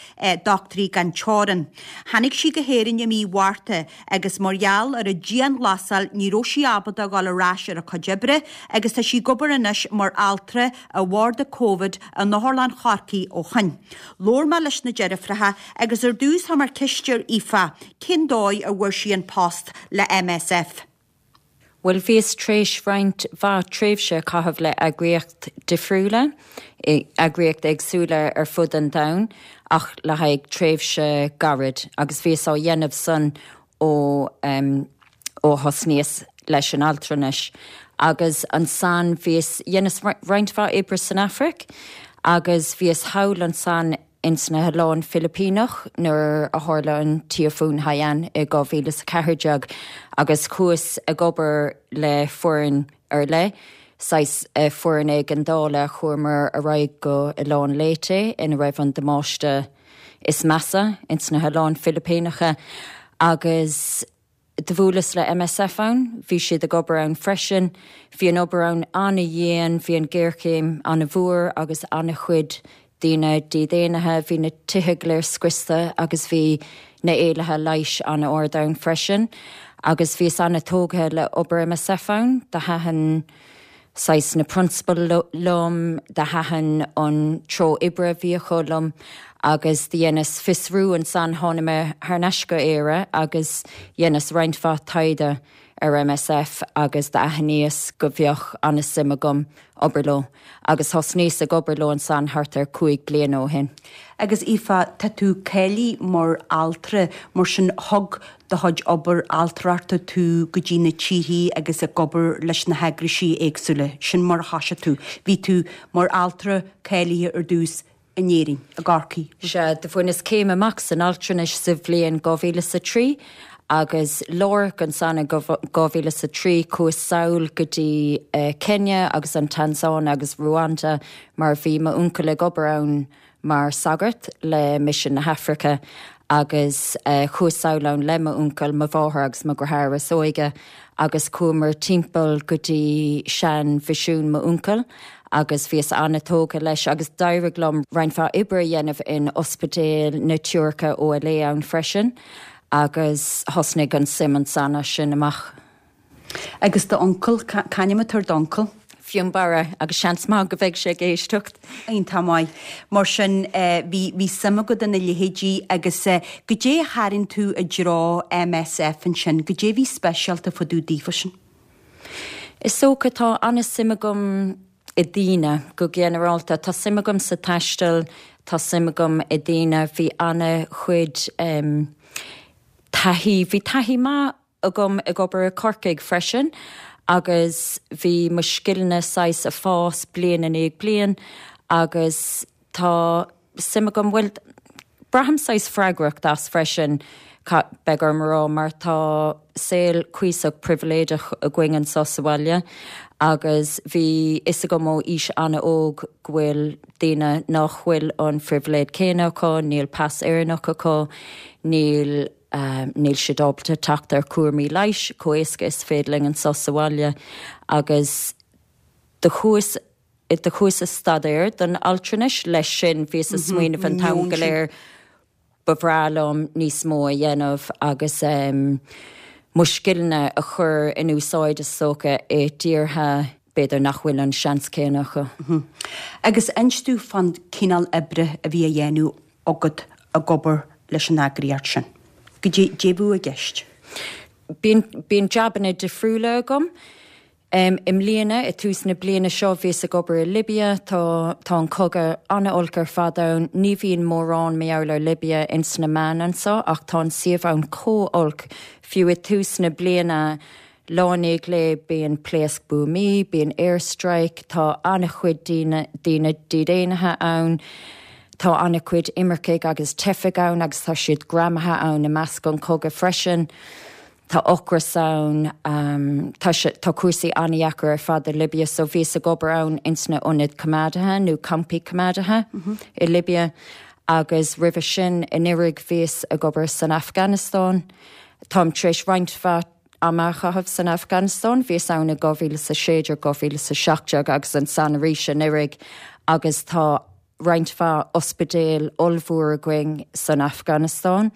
Dochtúirí Gan Teorainn. Tháinig sí go hÉirinn i mí Mhárta agus mar gheall ar an dianghlasáil ní raibh sí ábalta a dhul ar ais ar a cuid oibre agus tá sí ag obair anois mar altra i bharda Covid in Otharlann Chorcaí ó shoin. Labhair mé leis na deirfiúracha agus ar dtús chuir mé ceist ar Aoife cén dóigh a bhfuair sí an post le MSF. Bhuel, bhíos tar éis roinnt mhaith tréimhse a chaitheamh le eagraíocht difriúla, eagraíocht éagsúla ar fud an domhain, ach le haghaidh tréimhse gairid, agus bhíos á dhéanamh san ó ó thosnaíos leis an altranais. Agus ansan bhíos, dheineas roinnt mhaith oibre san Afraic, agus bhíos thall ansan ins na hOileáin Philipíneach nuair a tharla an Tíofún Haiyan i 2014 agus chuas ag obair le foireann ar leith. saghas foireann éigeandála chuamar ar aghaidh go Oileán Leyte ina raibh an damáiste is measa ins na hOileáin Philipíneacha agus do bhuaileas le MSF ann, bhí siad ag obair ann freisin. Bhí an obair ann an-dhian, bhí an ghéarchéim an-mhór agus an-chuid daoine dídhaonnaithe, bhí na tithe go léir scriosta agus bhí na éilithe leighis an-ard ann freisin. Agus bhíos an-tógtha le obair MSF ann, do thaitin saghas na prionsabail liom, do thaitin an treo oibre a bhí acu liom agus do dheineas fiosrú ansan, tháinig mé thar n-ais go Éire agus dheineas roinnt mhaith taighde ar MSF agus d'aithníos go bheadh an-suim agam obair leo agus thosnaíos ag obair leo ansan thart ar chúig bliana ó shin. Agus Aoife, tá tú cáilithe mar altra, mar sin thug do chuid obair altrachta tú go dtí na tíorthaí agus ag obair leis na heagraisí éagsúla, sin mar a thoisigh tú. Bhí tú mar altra cáilithe ar dtús in Éirinn, i gCorcaigh. Sea, do bhaineas céim amach san altranais sa bhliain 2003 agus láithreach ansan in 2003 chuas sall go dtí Kenya agus an Tansáin agus Ruanda mar bhí m'uncail ag obair ann mar sagart le Misean na hAfraice agus chuas sall ann le m'uncail, mo mháthair agus mo dheartháir is óige agus chuamar timpeall go dtí sean mhisiún m'uncail agus bhíos an-tógtha leis agus d'éirigh liom roinnt mhaith oibre a dhéanamh in ospidéal na Teoirice OLA ann freisin agus thosnaigh an suim ansan as sin amach. Agus d'uncail, c'ainm atá ar d'uncail? Fionnbarra, agus seans maith go mbeidh sé ag éisteacht. Iontach maith. Mar sin, bhí, bhí suim agat ina leithéidí agus goidé a tharraing tú i dtreo MSF ansin, goidé a bhí speisialta fá dtaobh daofa sin? Is dócha, tá an-suim agam i ndaoine, go ginearálta. Tá suim agam sa taisteal, tá suim agam i ndaoine, bhí an-chuid taithí, bhí taithí maith agam ag obair i Corcaigh freisin agus bhí mo scileanna saghas ag fás bliain i ndiaidh bliain agus tá suim agam, bhuel, braithim saghas freagracht as freisin, beidh orm a rá, mar tá saol cuíosach pribhléideach againn anso sa bhaile agus bhí fhios agam ó aois an-óg go bhfuil daoine nach bhfuil an phribhléid céanna acu, níl pas Éireannach acu, níl. Níl siad ábalta teacht ar chúraimí leighis chomh éasca is féidir linn anso sa bhaile agus do chuas do chuas ag staidéar don altranais leis sin bhíos ag smaoineamh an t-am go léir ba bhreá liom níos mó a dhéanamh agus mo scileanna a chur in úsáid is dócha i dtíortha b'fhéidir nach bhfuil an seans céanna acu. Agus inis domh fán cineál oibre a bhí á dhéanamh agat ag obair leis an eagraíocht sin. Goidé a bheadh i gceist? Bíonn, bíonn jabanna difriúla agam. I mbliana, i tús na bliana seo, bhíos ag obair i Libia. Tá, tá an cogadh an-olc ar fad ann. Ní bhíonn mórán mar gheall ar Libia ins na meáin anso ach tá an suíomh ann chomh olc. Fiú i tús na bliana, Lá i ndiaidh lae bíonn pléasc buamaí, bíonn air strike, tá an-chuid daoine, daoine dídhaonnaithe ann, tá an-chuid imircigh agus teifigh ann agus tá siad greamaithe ann i measc an chogaidh freisin. Tá ocras ann, tá sé, tá cúrsaí an-dheacair ar fad i Libia so bhíos ag obair ann ins na ionaid coimeádaithe nó campaí coimeádaithe i Libia agus roimhe sin anuraidh bhíos ag obair san Afganastáin. Táim tar éis roinnt mhaith ama a chaitheamh san Afganastáin. Bhíos ann i 2016, 2017 agus ansan arís anuraidh agus tá roinnt mhaith ospidéal ollmhór againn san Afganastáin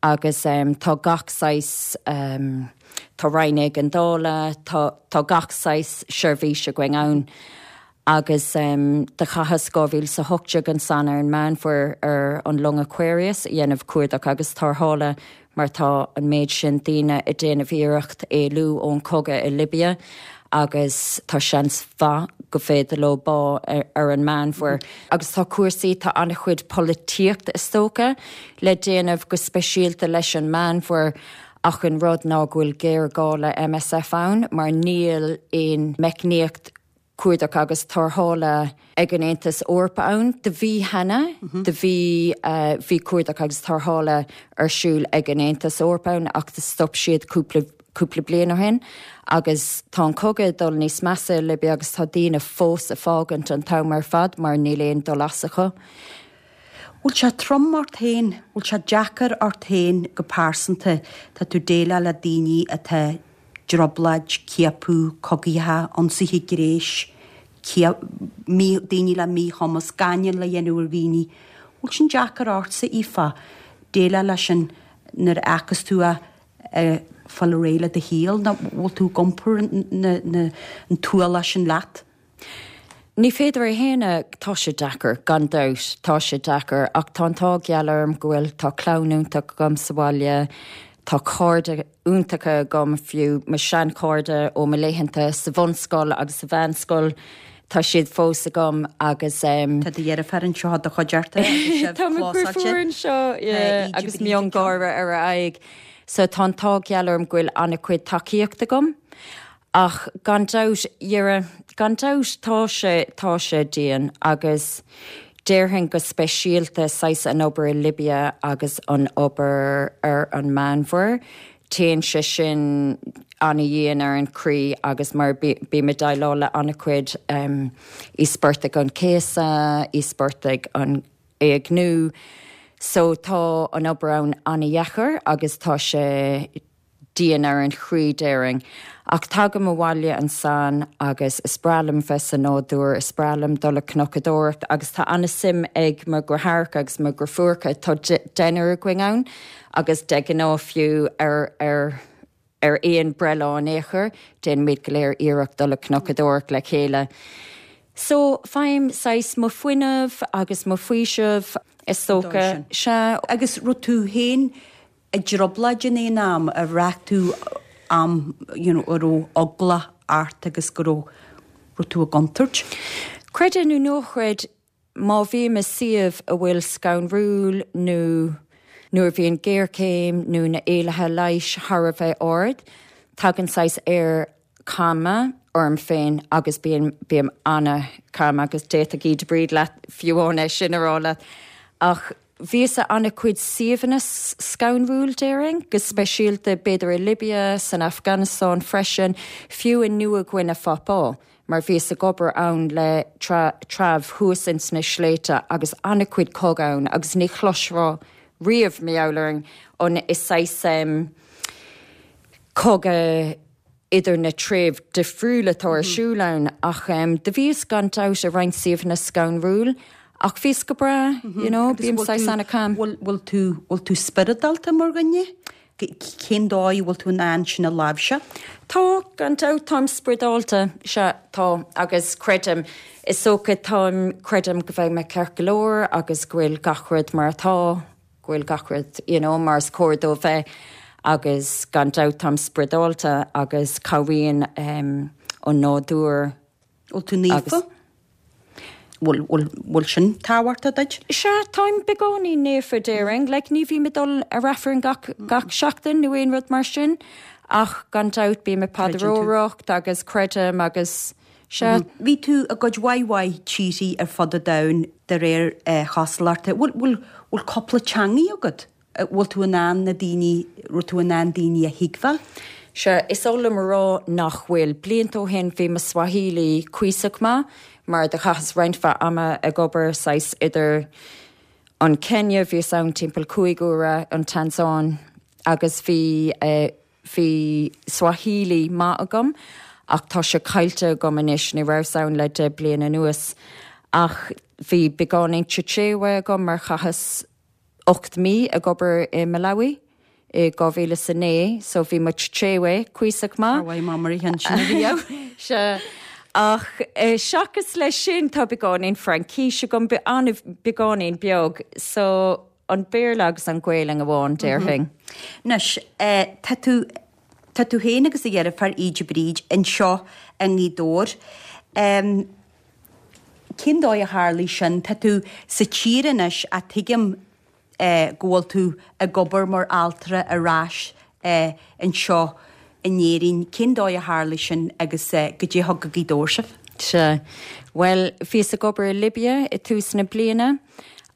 agus tá gach saghas, tá roinn éigeandála, tá, tá gach saghas seirbhís againn ann. Agus do chaitheas 2018 ansan ar an Meánmhuir ar an long Aquarius a dhéanamh cuardach agus tarrthála mar tá an méid sin daoine ag déanamh iarracht éalú ón chogadh i Libia agus tá seans mhaith go féidir leo bá ar an Meánmhuir. Agus tá cúrsaí, tá an-chuid polaitíocht is dócha le déanamh go speisialta leis an Meánmhuir ach an rud ná go bhfuil géarghá le MSF ann mar níl aon meicníocht cuardach agus tarrthála ag an Aontas Eorpach ann. Do bhí cheana, do bhí, bhí cuardach agus tarrthála ar siúl ag an Aontas Eorpach ann ach do stop siad cúpla. cúpla bliain ó shin agus tá an cogadh ag dul níos measa i Libia agus tá daoine fós ag fágaint an t-am ar fad mar níl aon dul as acu. Bhfuil sé trom ort féin? Bhfuil sé deacair ort féin go pearsanta? Tá tú ag déileáil le daoine atá i dtrioblóid, ciapadh, cogaíocha, ionsaithe gnéis, daoine le míchumas, gáinneáil le dhéanamh ar dhaoine. Bhfuil sin deacair ortsa, Aoife, déileáil leis sin nuair a fheicfeas tú a ag fáil ar aghaidh le do shaol nó bhfuil tú ag iompar an t-ualach sin leat? Ní féidir a shéanadh, tá sé deacair, gan dabht, tá sé deacair, ach tá an t-ádh geal orm go bhfuil, tá clann iontach agam sa bhaile, tá cairde iontacha agam, fiú mo sheanchairde ó mo laethanta sa bhunscoil agus sa mheánscoil, tá siad fós agam agus. Tá do dheirfiúr anseo i do chuideachta agus sibh Tá mo dheirfiúr anseo, yeah, agus miongháire ar a aghaidh. So tá an t-ádh geal orm go bhfuil an-chuid tacaíocht agam. Ach gan dabht, dhera, gan dabht tá sé, tá sé dian agus déarfainn go speisialta saghas an obair i Libia agus an obair ar an Meánmhuir, téann sé sin ana-dhian ar an chroí agus mar bím ag déileáil le an-chuid íospartaigh an chéasadh, íospartaigh an éigniú, so tá an obair ann ana-dheacair agus tá sé dian ar an chroí, déarfainn. Ach tagaim abhaile ansan agus is breá liom bheith sa nádúr, is breá liom dul ag cnocadóireacht agus tá an-suim ag mo dheartháireacha agus mo dheirfiúracha, tá deichniúr againn ann agus de ghnáth fiú ar ar ar aon breithlá in aon chor, déanaimid go léir iarracht dul ag cnocadóireacht le chéile. So, faighim saghas mo fuinneamh agus mo faoiseamh, is dócha. Sea. Agus raibh tú féin i dtrioblóid in aon am, ar bhraith tú am you know a raibh eagla ort agus go raibh raibh tú i gcontúirt? Creid é nó ná creid, má bhím i suíomh a bhfuil scanrúil nó nuair a bhíonn géarchéim nó na éilithe leighis thar a bheith ard, tagann saghas aer calma orm féin agus bíonn, bím ana-calm agus d'fhéadfadh Íde Bríd leat fiú amháin é sin a rá leat. Ach bhíos i ana-chuid suíomhanna scanrúil déarfainn, go speisialta b'fhéidir i Libia, san Afganastáin freisin, fiú i Nua Ghuine Phápua, mar bhíos ag obair ann le treabh thuas ins na sléibhte agus ana-chuid cogadh ann agus ní chloisfeá riamh, mar gheall ar an, an, is saghas cogadh idir na treibh difriúla atá ar siúl ann ach do bhíos gan dabht i roinnt suíomhanna scanrúil ach bhíos go breá, you know, bím saghas ana-calm. Bhfuil tú, bhfuil tú spioradálta mar dhuine? Cén dóigh a bhfuil tú in ann sin a láimhseáil? Tá, gan dabht, táim spioradálta, sea, tá, agus creidim, is dócha, táim, creidim go mbeidh mé ceart go leor agus go bhfuil gach rud mar atá. go bhfuil gach rud you know mar is cóir dó bheith agus gan dabht táim spioradálta agus cabhraíonn um, an nádúr. Bhfuil tú naofa? Bhfuil, bhfuil, bhfuil sin tábhachtach duit? Sea, táim beagáinín naofa déarfainn, like ní bhím ag dul ar Aifreann gach, gach seachtain nó aon rud mar sin ach gan dabht bím ag paidreoireacht agus creidim agus Sea. Bhí tú i gcuid mhaith mhaith tíorthaí ar fud an domhain de réir chosúlachta. Bhfuil, bhfuil, bhfuil cúpla teangaí agat? Bhfuil tú in ann na daoine, raibh tú in ann daoine a thuigbheáil? Sea, is oth liom a rá nach bhfuil. Blianta ó shin bhí mo Swahili cuíosach maith mar do chaitheas roinnt mhaith ama ag obair saghas idir an Kenya, bhíos ann timpeall 5 huaire, an Tansáin agus bhí eh, Bhí Swahili maith agam ach tá sé caillte agam anois, ní rabhas ann le 10 bliain anuas. Ach bhí beagáinín Chichewa agam mar chaitheas 8 mí ag obair i Malawi i 2009 so bhí mo Chichewa cuíosach maith. Ar mhaith mamar a cheann sin a riamh. Sea. Ach seachas leis sin tá beagáinín Fraincís agam, beagáinín beag so An Béarla agus an Ghaelainn amháin, déarfainn. Anois, tá tú, tá tú féin agus do dheirfiúr Íde Bríd anseo i nGaoth Dobhair. Cén dóigh a tharlaigh sin? Tá tú sa tír anois ach tuigim go bhfuil tú ag obair mar altra ar ais anseo in Éirinn. Cén dóigh a tharlaigh sin agus goidé a thug go Gaoth Dobhair sibh? Sea. Bhuel, bhíos ag obair i Libia i tús na bliana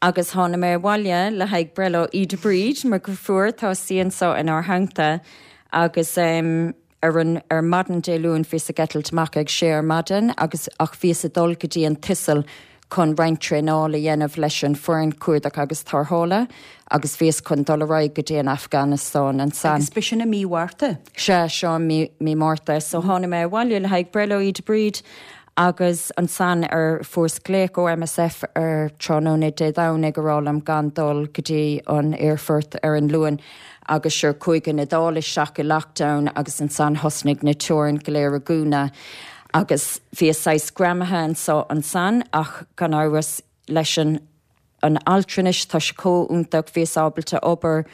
agus tháinig mé abhaile le haghaidh breithlá Íde Bríd, mo dheirfiúr, tá sí anseo inár theannta. Agus ar an, ar maidin Dé Luain bhíos ag eitilt amach ag sé ar maidin agus, ach bhíos ag dul go dtí an tSicil chun roinnt traenála a dhéanamh leis an foireann cuardach agus tarrthála agus bhíos chun dul ar aghaidh go dtí an Afganastáin ansan. Agus b'shin i mí Mhárta? Sea, seo i mí, mí Márta. So tháinig mé abhaile le haghaidh breithlá Íde Bríd agus ansan ar, fuaireas glaoch ó MSF ar tráthnóna Dé Domhnaigh ag rá liom gan dul go dtí an aerfort ar an Luan agus sure chuaigh an Iodáil isteach i lockdown agus ansan thosnaigh na teorainn go léir ag dúnadh agus bhíos saghas greamaithe anso ansan ach gan amhras leis an an altranais tá sé chomh iontach bhíos ábalta obair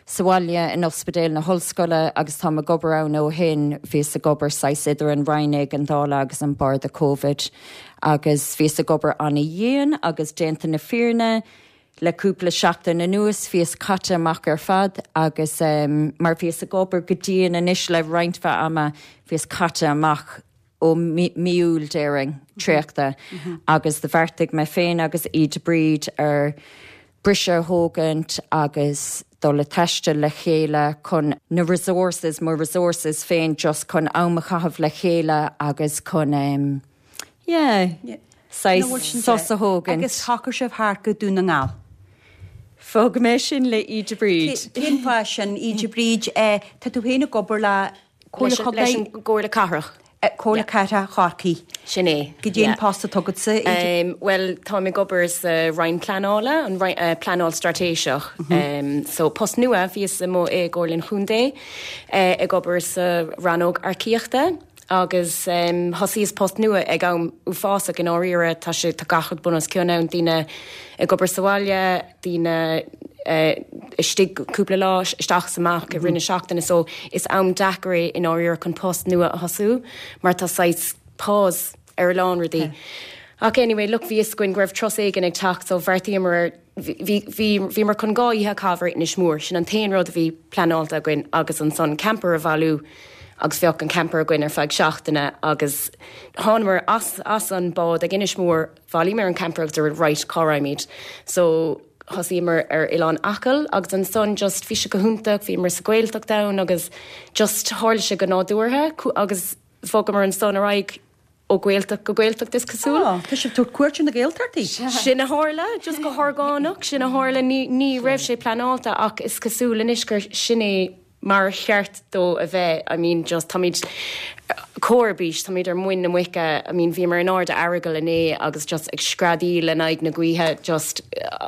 sa bhaile in Ospidéal na hOllscoile agus táim ag obair ann ó shin bhíos ag obair saghas idir an Roinn Éigeandála agus an Barda Covid agus bhíos ag obair ana-dhian agus déanta na fírinne Le cúpla seachtain anuas bhíos caite amach ar fad agus mar bhíos ag obair go dian anois le roinnt mhaith ama, bhíos caite amach ó mí Iúil déarfainn, traochta agus do bheartaigh mé féin agus Íde Bríd ar briseadh a thógaint agus dul ag taisteal le chéile chun na resources, mo resources féin just chun am a chaitheamh le chéile agus chun. Yeah. Saghas sos a thógaint. Agus shocair sibh thart go Dún na nGall. Fágfaidh mé sin le Íde Bríd. Cén fáth sin, Íde Bríd? Tá tú féin ag obair le Comhairle Chontae? Leis an gComhairle Cathrach. Comhairle Cathrach Chorcaí. Sin é. Goidé an post atá agatsa, Íde? Bhuel, táim ag obair sa Roinn Pleanála, an Pleanáil Straitéiseach. So, post nua, bhíos amuigh i gComhairle an Chontae ag obair sa rannóg earcaíochta. Agus thosaíos post nua ag am uafásach i ndáiríre, tá sé, tá gach rud bun os cionn ann, daoine ag obair sa bhaile, daoine istigh cúpla lá, isteach is amach i rith na seachtaine, so is am deacair é i ndáiríre chun post nua a thosú mar tá saghas pause ar a lán rudaí. Ach anyway, look, bhí fhios againn go raibh turas éigin ag teacht so bheartaíomar ar, Bhí, bhí, bhíomar chun 2 oíche a chaitheamh ar Inis Mór, sin an t-aon rud a bhí pleanáilte againn agus ansan camper a bhailiú agus bheadh an camper againn ar feadh seachtaine agus thánamar as, as an bád ag Inis Mór, bhailíomar an camper agus dúirt right, cá raghaimid? So thosaíomar ar Oileán Acaill agus ansan just bhí sé go hiontach, bhíomar sa Ghaeltacht ann agus just tharla sé go nádúrtha agus bhogamar ansan ar aghaidh Ó Ghaeltacht go Gaeltacht is cosúil. Á, tá sibh ag tabhairt cuairt ar na Gaeltachtaí. Sin a tharla, just go horgánach, sin a tharla. Ní, ní raibh sé pleanáilte ach is cosúil anois gur sin é mar a cheart dó a bheith. I mean just táimid chomh ar bís, táimid ar muin na muice, I mean bhíomar in airde Earagail inné agus just ag screadaíl in aghaidh na gaoithe just,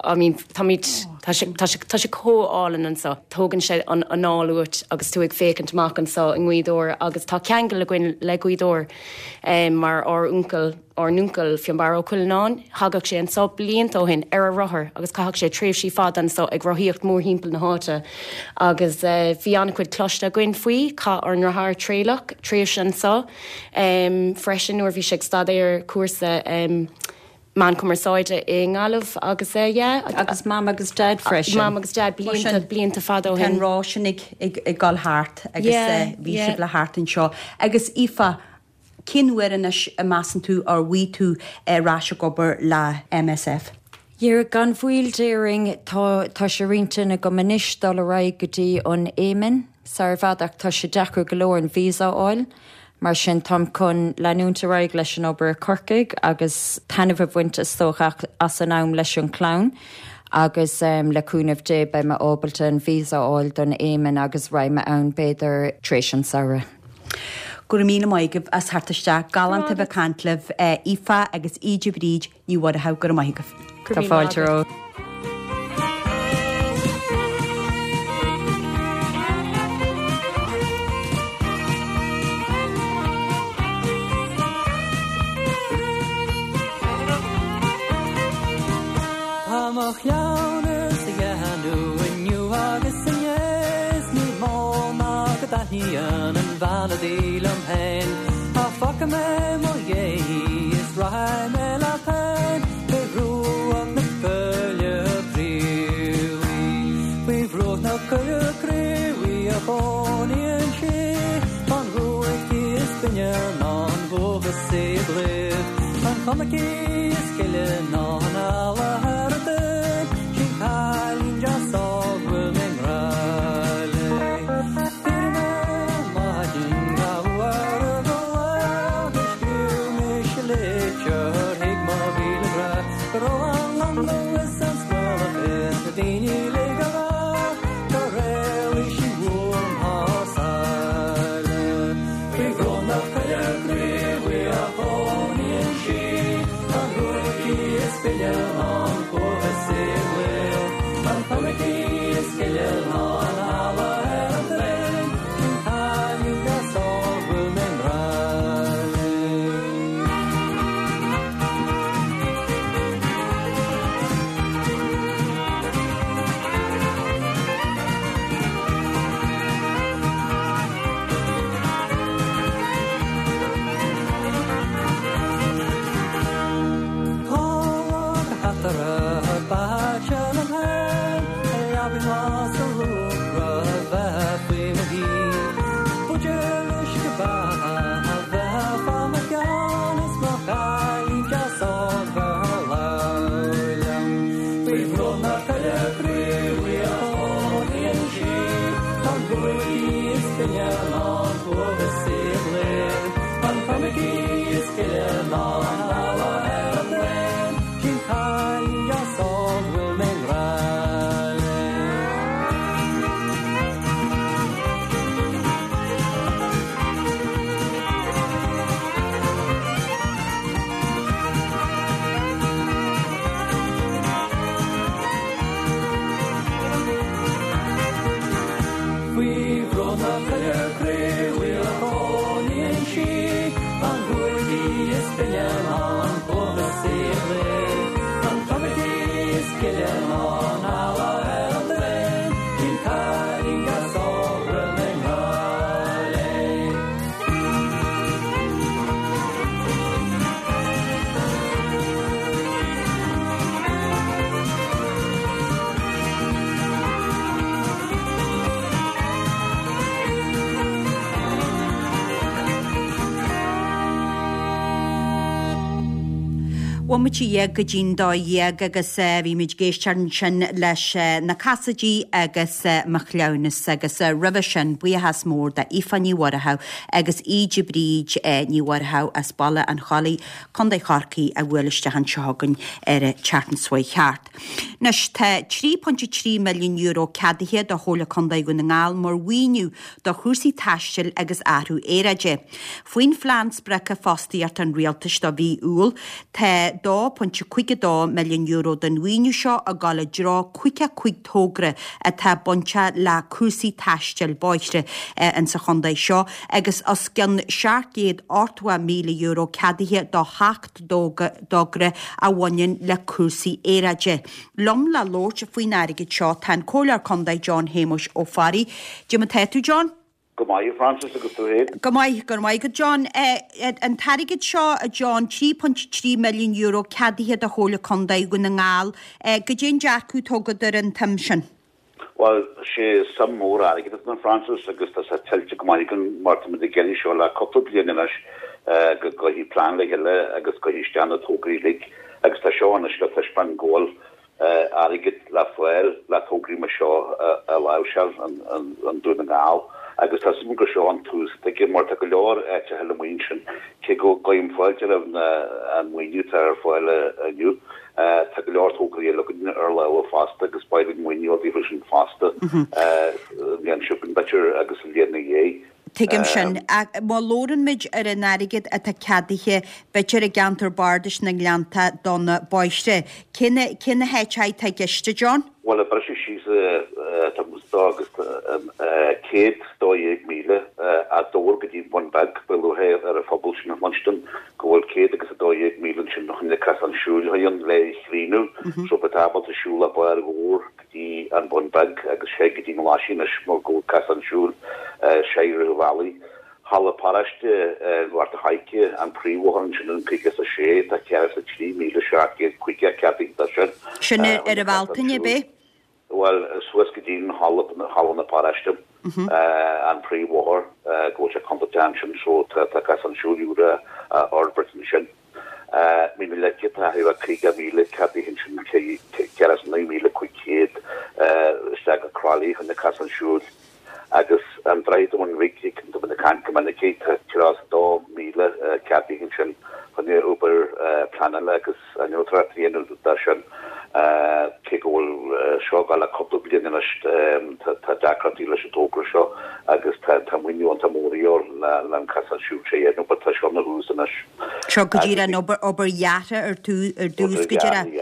I mean táimid, tá sé, tá sé, tá sé chomh álainn anseo. Tógann sé an anáil uait agus tú ag féachaint amach anseo i nGaoth Dobhair agus tá ceangal againn le Gaoth Dobhair. Mar ár uncail, ár n-uncail Fionnbarra Ó Cuileanáin, thagadh sé anso blianta ó shin ar a rothar agus chaitheadh sé tréimhsí fada anso ag rothaíocht mórthimpeall na háite agus bhí an-chuid cloiste againn faoi. Chaith ár ndriotháir Traolach tréimhse anso freisin nuair a bhí sé ag staidéar cúrsa Meán Cumarsáide i nGaillimh agus yeah. Agus Mam agus Dad freisin. Mam agus Dad blianta, blianta fada ó shin. Tá an roth sin ag, ag, ag dul thart agus bhí sibh le theacht anseo. Agus Aoife, cén uair anois a measann tú ar bhfaighidh tú ar ais ag obair le MSF? Yeah, gan mhoill déarfainn, tá, tá sé ar intinn agam anois dul ar aghaidh go dtí an Éimin. Sar i bhfad ach tá sé deacair go leor an visa a fháil. Mar sin táim chun leanúint ar aghaidh leis an obair i Corcaigh agus taitneamh a bhaint is dócha as an am leis an chlann agus le cúnamh Dé beidh mé ábalta an visa a fháil don Éimin agus raghaidh mé ann b'fhéidir tar éis an samhradh. Go raibh míle maith agaibh as theacht isteach. Galánta a bheith ag caint libh, Aoife agus Íde Bríd Ní Mhuireadhaigh, go raibh maith agaibh. Tá fáilte romhat. Tá mo chleamhnas a dhéanamh inniu agus inné 's ní mó ná go dtaitníonn an bhean udaí liom féin. Ach fágfaidh mé mo dhéidh is rachaidh mé leat féin fé bhruach na coille craobhaí. Faoi bhruach na coille craobhaí a chónaíonn sí, An bhuaic is binne ná an dúchasaí i gclaíomh, An chuma aici is gile ná an eala ar an dtoinn, Sin cailín deas óg bhfuil mé i ngrá léi. is binne ná an t-uathachas í a ghlinn. An chuma í is gile ná an eala ar an dtraen, Sin cailín deas óg bhfuil mé i ngrá léi. Faoi bhruach na coille craobhaíl a chónaíonn sí, An ghruaig í is binne ná an t-uathachas í a ghlinn. An chuma di is gile ná an eala ar an dtraen, Sin cailín deas óg bhfuil mé i ngrá léi. Bomaite dhéag go dtí'n 12 agus bhí muid ag éisteacht ansin leis na Casaidigh agus Mo Chleamhnas agus roimhe sin buíochas mór d'Aoife Ní Mhuireadhaigh agus Íde Bríd Ní Mhuireadhaigh as Baile an Chollaigh, Contae Chorcaí a bhuail isteach anseo chugainn ar an tseachtain seo chuaigh thart. Anois, tá €3.3 milliún ceadaithe do Chomhairle Contae Dhún na nGall mar mhaoiniú do chúrsaí taistil agus athrú aeráide. Faoin Phlean Spreagtha Fostaíochta an Rialtais do mhí Iúil, tá €2.52 milliún den mhaoiniú seo ag dul i dtreo 55 togra atá bainteach le cúrsaí taistil bóithre insa chontae seo agus os cionn €780,000 ceadaithe do sheacht dtogra a bhaineann le cúrsaí aeráide. Liom le labhairt faoin airgead seo tá an Comhairleoir Contae John Shéamuis Ó Fearraigh. Cad é mar tá tú John? Go maith, a Frances, agus tú féin? Go maith, go raibh maith agat John. An t-airgead seo, a John, €3.3 milliún ceadaithe do Chomhairle Contae Dhún na nGall, goidé an dearcadh atá agat ar an tsuim sin? Bhuel, sé suim mór airgid atá ann, a Frances, agus tá sé tuillte go maith againn mar tá muid ag iarraidh seo le cúpla bliain anois go gcuirfí plean le chéile agus gcuirfí isteach na tograí uilig agus tá seo anois le taispeáint go bhfuil airgead le fáil le tograí mar seo a láimhseáil i nDún na nGall agus tá suim gur seo an tús atá aige mar tá go leor áiteacha eile amuigh ansin cé go gcuirim fáilte roimh an maoiniú atá ar fáil inniu. Tá go leor tograí eile againn ar lámha fosta agus beidh linn maoiniú a fháil sin fosta an bhliain seo chugainn b'fhéidir agus an bhliain ina dhiaidh. Tuigim sin. Ach má labhrann muid ar an airgead atá ceadaithe, b'fhéidir i gceantar bardais na nGleannta do na bóithre, cé na, cé na háiteacha atá i gceist, a John? Bhuel, ag briseadh síos tá muid agus 112,000 as Dobhar go dtí an Bun Beag, beidh lúcháir ar an phobal sin a chluinstin go bhfuil 112,000 ansin fá choinne casán siúil a dhéanamh le é a chríonadh so beidh tú ábalta siúl ó Barr Dhobhair go dtí an Bun Beag agus sé go dtí an Ghlaisín anois mar go bhfuil casán siúil sé i rith an bhealaigh. Halla Paráiste Ghort a' Choirce, an príomhbhóthar ansin an 56, tá 103,750 ceadaithe dó sin. Sin ar an Bhealtaine, ab é? Bhuel, suas go dtí an halla, halla na paráiste, an príomhbhóthar, go bhfuil sé contúirteach ansin so tá casán siúil úr á fhorbairt ansin. Mín na Leice, tá thart ar 50,000 ceadaithe ansin, 109,500 isteach go Crolly chun na casán siúil. Agus an Droichead Bhun Ríg, tá muid ag caint go minic air, tá 32,000 ceadaithe ansin chun obair pleanála agus innealtóireacht a dhéanamh dó sin. Cé go bhfuil seo ag dul le cúpla bliain anois, tá deacrachtaí leis an togra seo agus tá maoiniú iontach mór a dhíobháil le an casán siúil seo a dhéanamh, but tá seo ina thús anois. Seo go díreach an obair, obair dheartha ar dtús go díreach.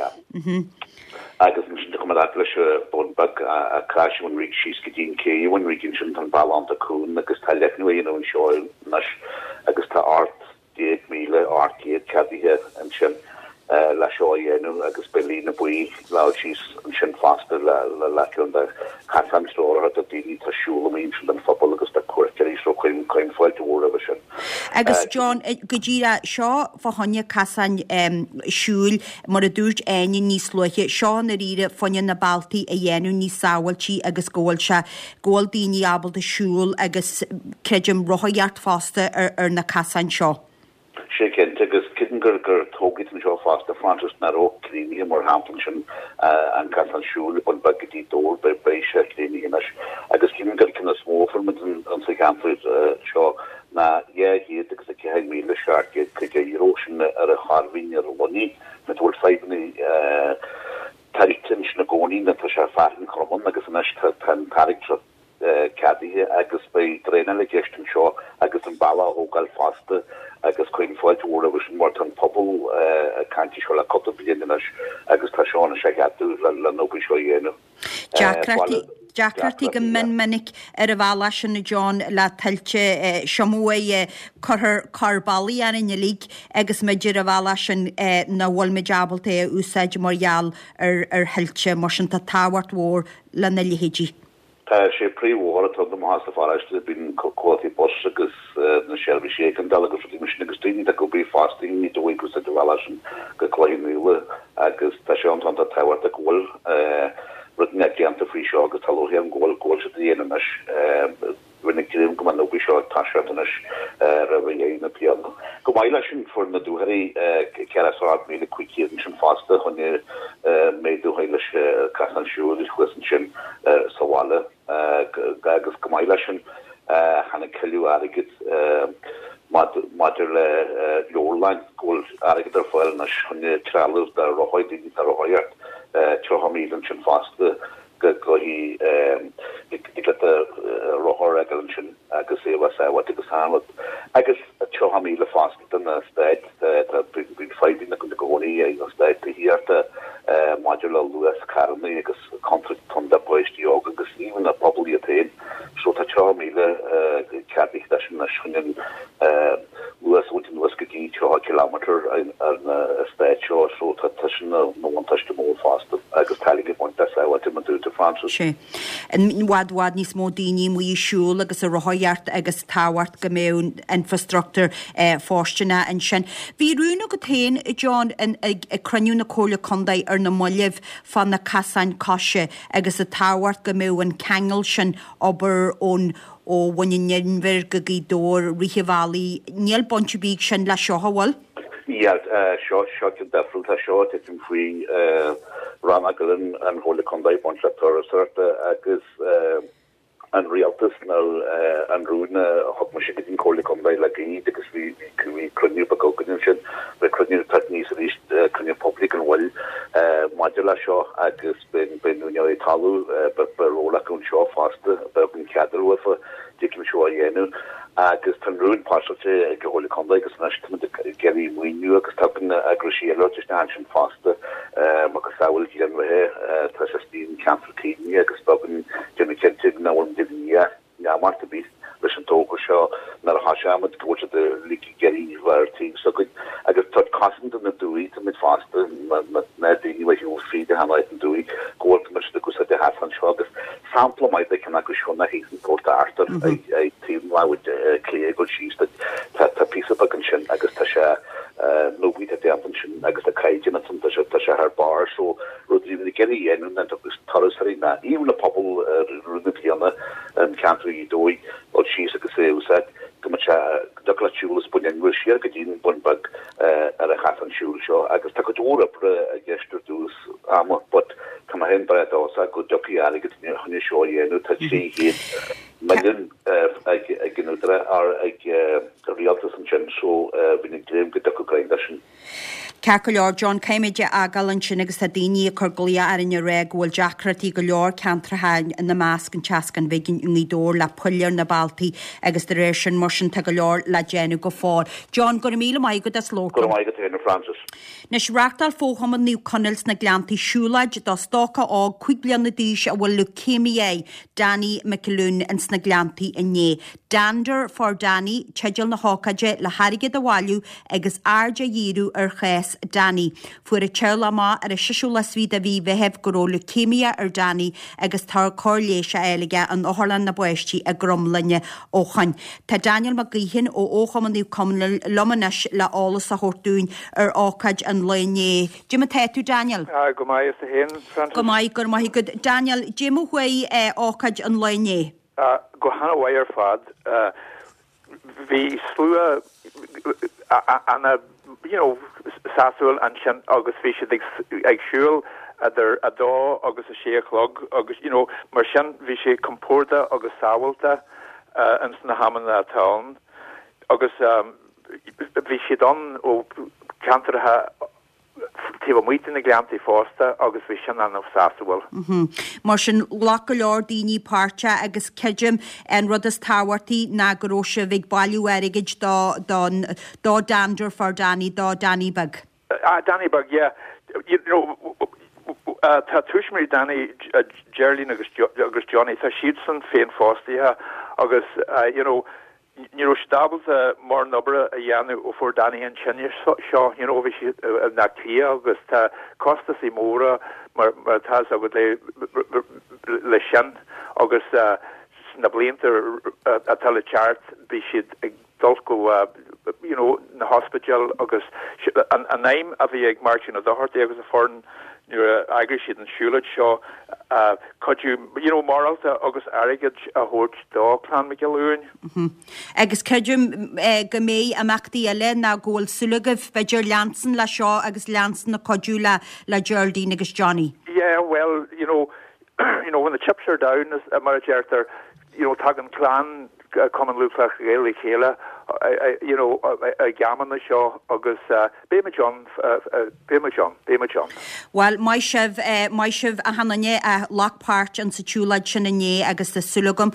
Agus ansin tá chomh fada leis an Bun Beag, Crois Bhun Ríg síos go dtí an cé Bhun Ríg ansin tá an bealach iontach cúng agus tá leathnú á dhéanamh anseo anois agus tá 18,800 ceadaithe ansin le seo a dhéanamh agus beidh líne buí le dul síos ansin fosta le ceann de chasáin treoraithe do daoine atá ag siúl amuigh ansin don phobal agus do cuairteoirí so cuirim fáilte mhór roimhe sin. Agus John, go díreach, seo fá choinne casáin siúil, mar a dúirt Áine níos luaithe, seo i ndáiríre fá choinne na bealtaí a dhéanamh níos sábháiltí agus go bhfuil sé, go bhfuil daoine ábalta siúl agus, creidim, rothaíocht fosta ar na casáin seo. Sé cinnte, agus creidim gur gur tograí anseo fosta, Frances, nach raibh críochnaithe, mar shampla ansin an casán siúil Bun Beag go dtí Dobhar, beidh sé críochnaithe anois. Agus creidim gur ceann is mó a fuair muid. muid insa cheantar seo ná €204,750, sin ar an Chairbhín ar an Luinnigh, nó tá bhfuil fadhbanna tuilte ansin i gcónaí nó tá sé fearann Chromán agus anois tá an t-airgead seo ceadaithe agus beidh draenáil i gceist anseo agus an bealach a thógáil fosta agus cuirim fáilte mhór roimhe sin mar tá an pobal ag caint faoi seo le cúpla bliain anois agus tá seo anois á cheadú le an obair seo a dhéanamh. Deacrachtaí Deacrachtaí go mion minic ar an bhealach sin a John le tuilte siomóidh cuirthear cor bealaigh orainn uilig agus muid ar an bhealach sin nach bhfuil muid ábalta é a úsáid mar gheall ar ar thuilte mar sin tá tábhacht mhór lena leithéidí. Tá sé príomhbhóthar atá amach as an pharóiste, bíonn comhaltaí bus agus na seirbhísí éigeandála agus rudaí mar sin agus daoine atá ag obair fosta i nGaoth Dobhair ag úsáid an bhealach sin go Cloich Cheann Fhaola agus tá sé iontach tábhachtach go bhfuil rud inteacht déanta faoi seo agus tá lúcháir orm go bhfuil go bhfuil siad á dhéanamh anois. Bheinn ag dréim go mbeadh an obair seo ag toiseacht anois roimh dheireadh na bliana. Chomh maith leis sin, fuair na dúichirí 48,500 ansin fosta chun méadú a chur leis an casán siúil thuas ansin sa bhaile agus chomh maith leis sin tháinig tuilleadh airgid maidir le leabharlann, go bhfuil airgead ar fáil anois chun trealamh do rothaí, daoine atá ag rothaíocht, 30,000 ansin fosta. go dtig leat do rothar a fhágáil ansin agus é a bheith sábháilte agus achan rud. Agus 30,000 fosta don eastát, tá bíonn fadhbanna i gcónaí ag an eastát tithíochta maidir le luas carranna agus contúirt do pháistí óga agus even an pobal iad féin. So tá 30,000 ceadaithe leis anois chun an luas a bhaint anuas go dtí 30 kilometre ar na estáit seo so tá sin ina bhuntáiste mór fosta agus tá ag baint le sábháilte mar dúirt Francis. Sea. I bhfad bhfad níos mó daoine amuigh ag siúl agus ag rothaíocht agus tábhacht go mbeadh infrastruchtúr fóirsteanach ansin. Bhí rún agat féin, John, ag cruinniú na Comhairle Contae ar na mallaibh fá na casáin coise agus an tábhacht go mbeadh an ceangal sin obair ón Ó Bhun an Inbhir go Gaoth Dobhair, rith an bhealaigh, níl baint ar bith ag sin leis seo, an bhfuil? Níl, seo, seo ceann difriúil, tá seo ag titim faoi rannóg eile an Chomhairle Contae, baint le turasóireachta agus an rialtas nó an rún a thug mise go dtí an Chomhairle Contae le gairid agus bhí, bhí cruinniú beag againn ansin, beidh cruinniú ag teacht aníos arís, cruinniú poiblí gan mhoill maidir leis seo agus. Beidh úinéirí talaimh, beidh ról acu anseo fosta, beidh an cead uafa dtig leo seo a dhéanamh agus tá an rún pasáilte ag an Chomhairle Contae agus anois táimid ag iarraidh maoiniú agus tagann eagraisí eile isteach ansin fosta macasamhail Ghleann Bheatha, tá sé istigh in ceantar caomhnaithe agus beidh againn déanamh cinnte nach bhfuil muid i ndiaidh. neamart ar bith leis an togra seo nuair a thosaímid go bhfuil siad uilig ag iarraidh a bheith ar taobh s'againn agus tá cosaint do na dumhaigh táimid fosta na daoine a bheith shiúl fríd achan áit an dumhaigh go bhfuil táimid siad ag úsáid a sheasamh anseo agus sampla maith de cheann acu seo ná thíos in Port Arthur ag taobh an lámh clé ag dul síos tá tá píosa beag ansin agus tá sé na obair atá déanta ansin agus tá caighdeán ansin tá sé tá sé thar barr so rud a bhí ag iarraidh a dhéanamh ná turasóirí ná even an pobal i rith na bliana an ceantar Ghaoth Dobhair dul síos agus é a úsáid go mbeadh sé go dtiocfadh leat siúl as Bun Inbhir siar go dtí an Bun Beag ar an chasán siúil seo agus tá cuid mhór oibre i gceist ar dtús ama but tá mé féin breá dóchasach go dtiocfaidh airgead chun é seo a dhéanamh tá 300 milliún ag an údarás or ag an rialtas ansin so bheinn ag dréim go dtiocfadh greim leis sin. Ceart go leor, John, caithfimid é a fhágáil ansin agus tá daoine ag cur glaoch orainn ag rá go bhfuil deacrachtaí go leor ceantracha ina measc an tSeascán Bhig i nGaoth Dobhair le poill ar na bealtaí agus de réir sin mar sin tá go leor le déanamh go fóill. John, go raibh míle maith agat as labhairt Go raibh maith agat féin, a Francis. Anois, reáchtáil Fo-Chumann Naomh Conaill sna Gleanntaí siúlóid do stócach óg 5 bliana d'aois a bhfuil leucemia air, Danny McAloon, ins na Gleanntaí inné. Dander for Danny teideal na hócáide le hairgead a bhailiú agus aird a dhíriú ar chás Danny. Fuair a teaghlach amach ar an seisiú lá is fiche de mhí Mheithimh go raibh leucemia ar Danny agus tá cóir leighis á fháil aige in Otharlann na bPáistí i gCromghlinne ó shoin. Tá Daniel Mac Gaoithín ó Fhochumann Naomh Conaill liom anois le eolas a thabhairt dúinn ar ócáid an lae inné. Cad é mar tá tú, Daniel? Go maith, is tú féin, Francis? Go maith, go raibh maith agat. Daniel, cad é mar a chuaigh ócáid an lae inné? Go han-mhaith ar fad. Bhí slua ana you know sásúil ansin agus bhí siad ag ag siúl idir a dó agus a sé a chlog agus you know mar sin bhí sé compordach agus sábháilte. ins na hamanna atá ann agus bhí siad ann ó ceantracha taobh amuigh de na Gleanntaí fosta agus bhí sin an-sásúil. Mar sin, ghlac go leor daoine páirt agus creidim an rud is tábhachtaí ná go raibh sibh ag bailiú airgid do don do Dander for Danny, do Danny Beag. Ah, Danny Beag, yeah. You know, tá tuismitheoirí Danny, Geraldine agus agus Johnny, tá siadsan féinfhostaithe agus you know, ní raibh siad ábalta mórán oibre a dhéanamh ó fuair Danny an tinneas seo, you know, bhí siad i mBleá Cliath agus tá costasaí móra mar mar atá fhios agat le le sin agus sna blianta atá le teacht beidh siad ag dul go you know na hospidéil agus an an aidhm a bhí ag Máirtín Ó Dochartaigh agus a foireann nuair a eagraigh siad an siúlóid seo cuidiú you know morálta agus airgead a thabhairt do Clann Mhic Giolla Uain. Agus creidim go mbeidh imeachtaí eile nó go bhfuil súil agaibh b'fhéidir leanstan le seo agus leanstan ag cuidiú le le Geraldine agus Johnny. Yeah well you know you know when the chips are down mar a deirtear you know tagann clann Cumann Lúthchleas Gael le chéile you know ag amanna seo agus beimid ann beimid ann beimid ann. Bhuel maith sibh maith sibh achan duine a ghlac páirt in sa tsiúlóid sin inné agus tá súil agam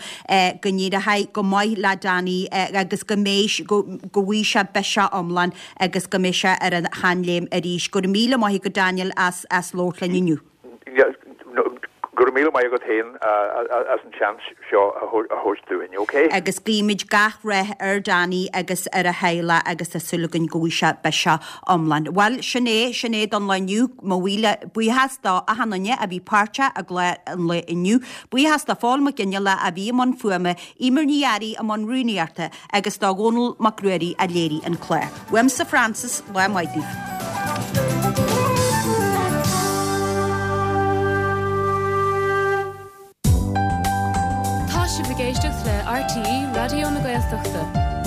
go n-éireoidh go maith le Danny agus go mbeidh go go bhfaighidh sé biseach iomlán agus go mbeidh sé ar a sheanléim arís. Go raibh míle maith agat Daniel as as labhairt linn inniu. Go raibh míle maith agat féin as an seans seo a thabhairt dúinn, ok? Agus guímid gach rath ar Danny agus ar a theaghlach agus tá súil againn go bhfaighidh sé biseach iomlán. Bhuel, sin é, sin é don lá inniu. Mo mhíle buíochas do achan duine a bhí páirteach i gclár an lae inniu. Buíochas do Phól Mac Fhionnghaile a bhí i mbun fuaime, Eimear Ní Fhearraigh i mbun rúnaíochta agus do Dhónal Mac Ruairí a léirigh an clár. Uaimse Frances, lá maith daoibh. Tá sibh ag éisteacht le RTÉ Raidió na Gaeltachta.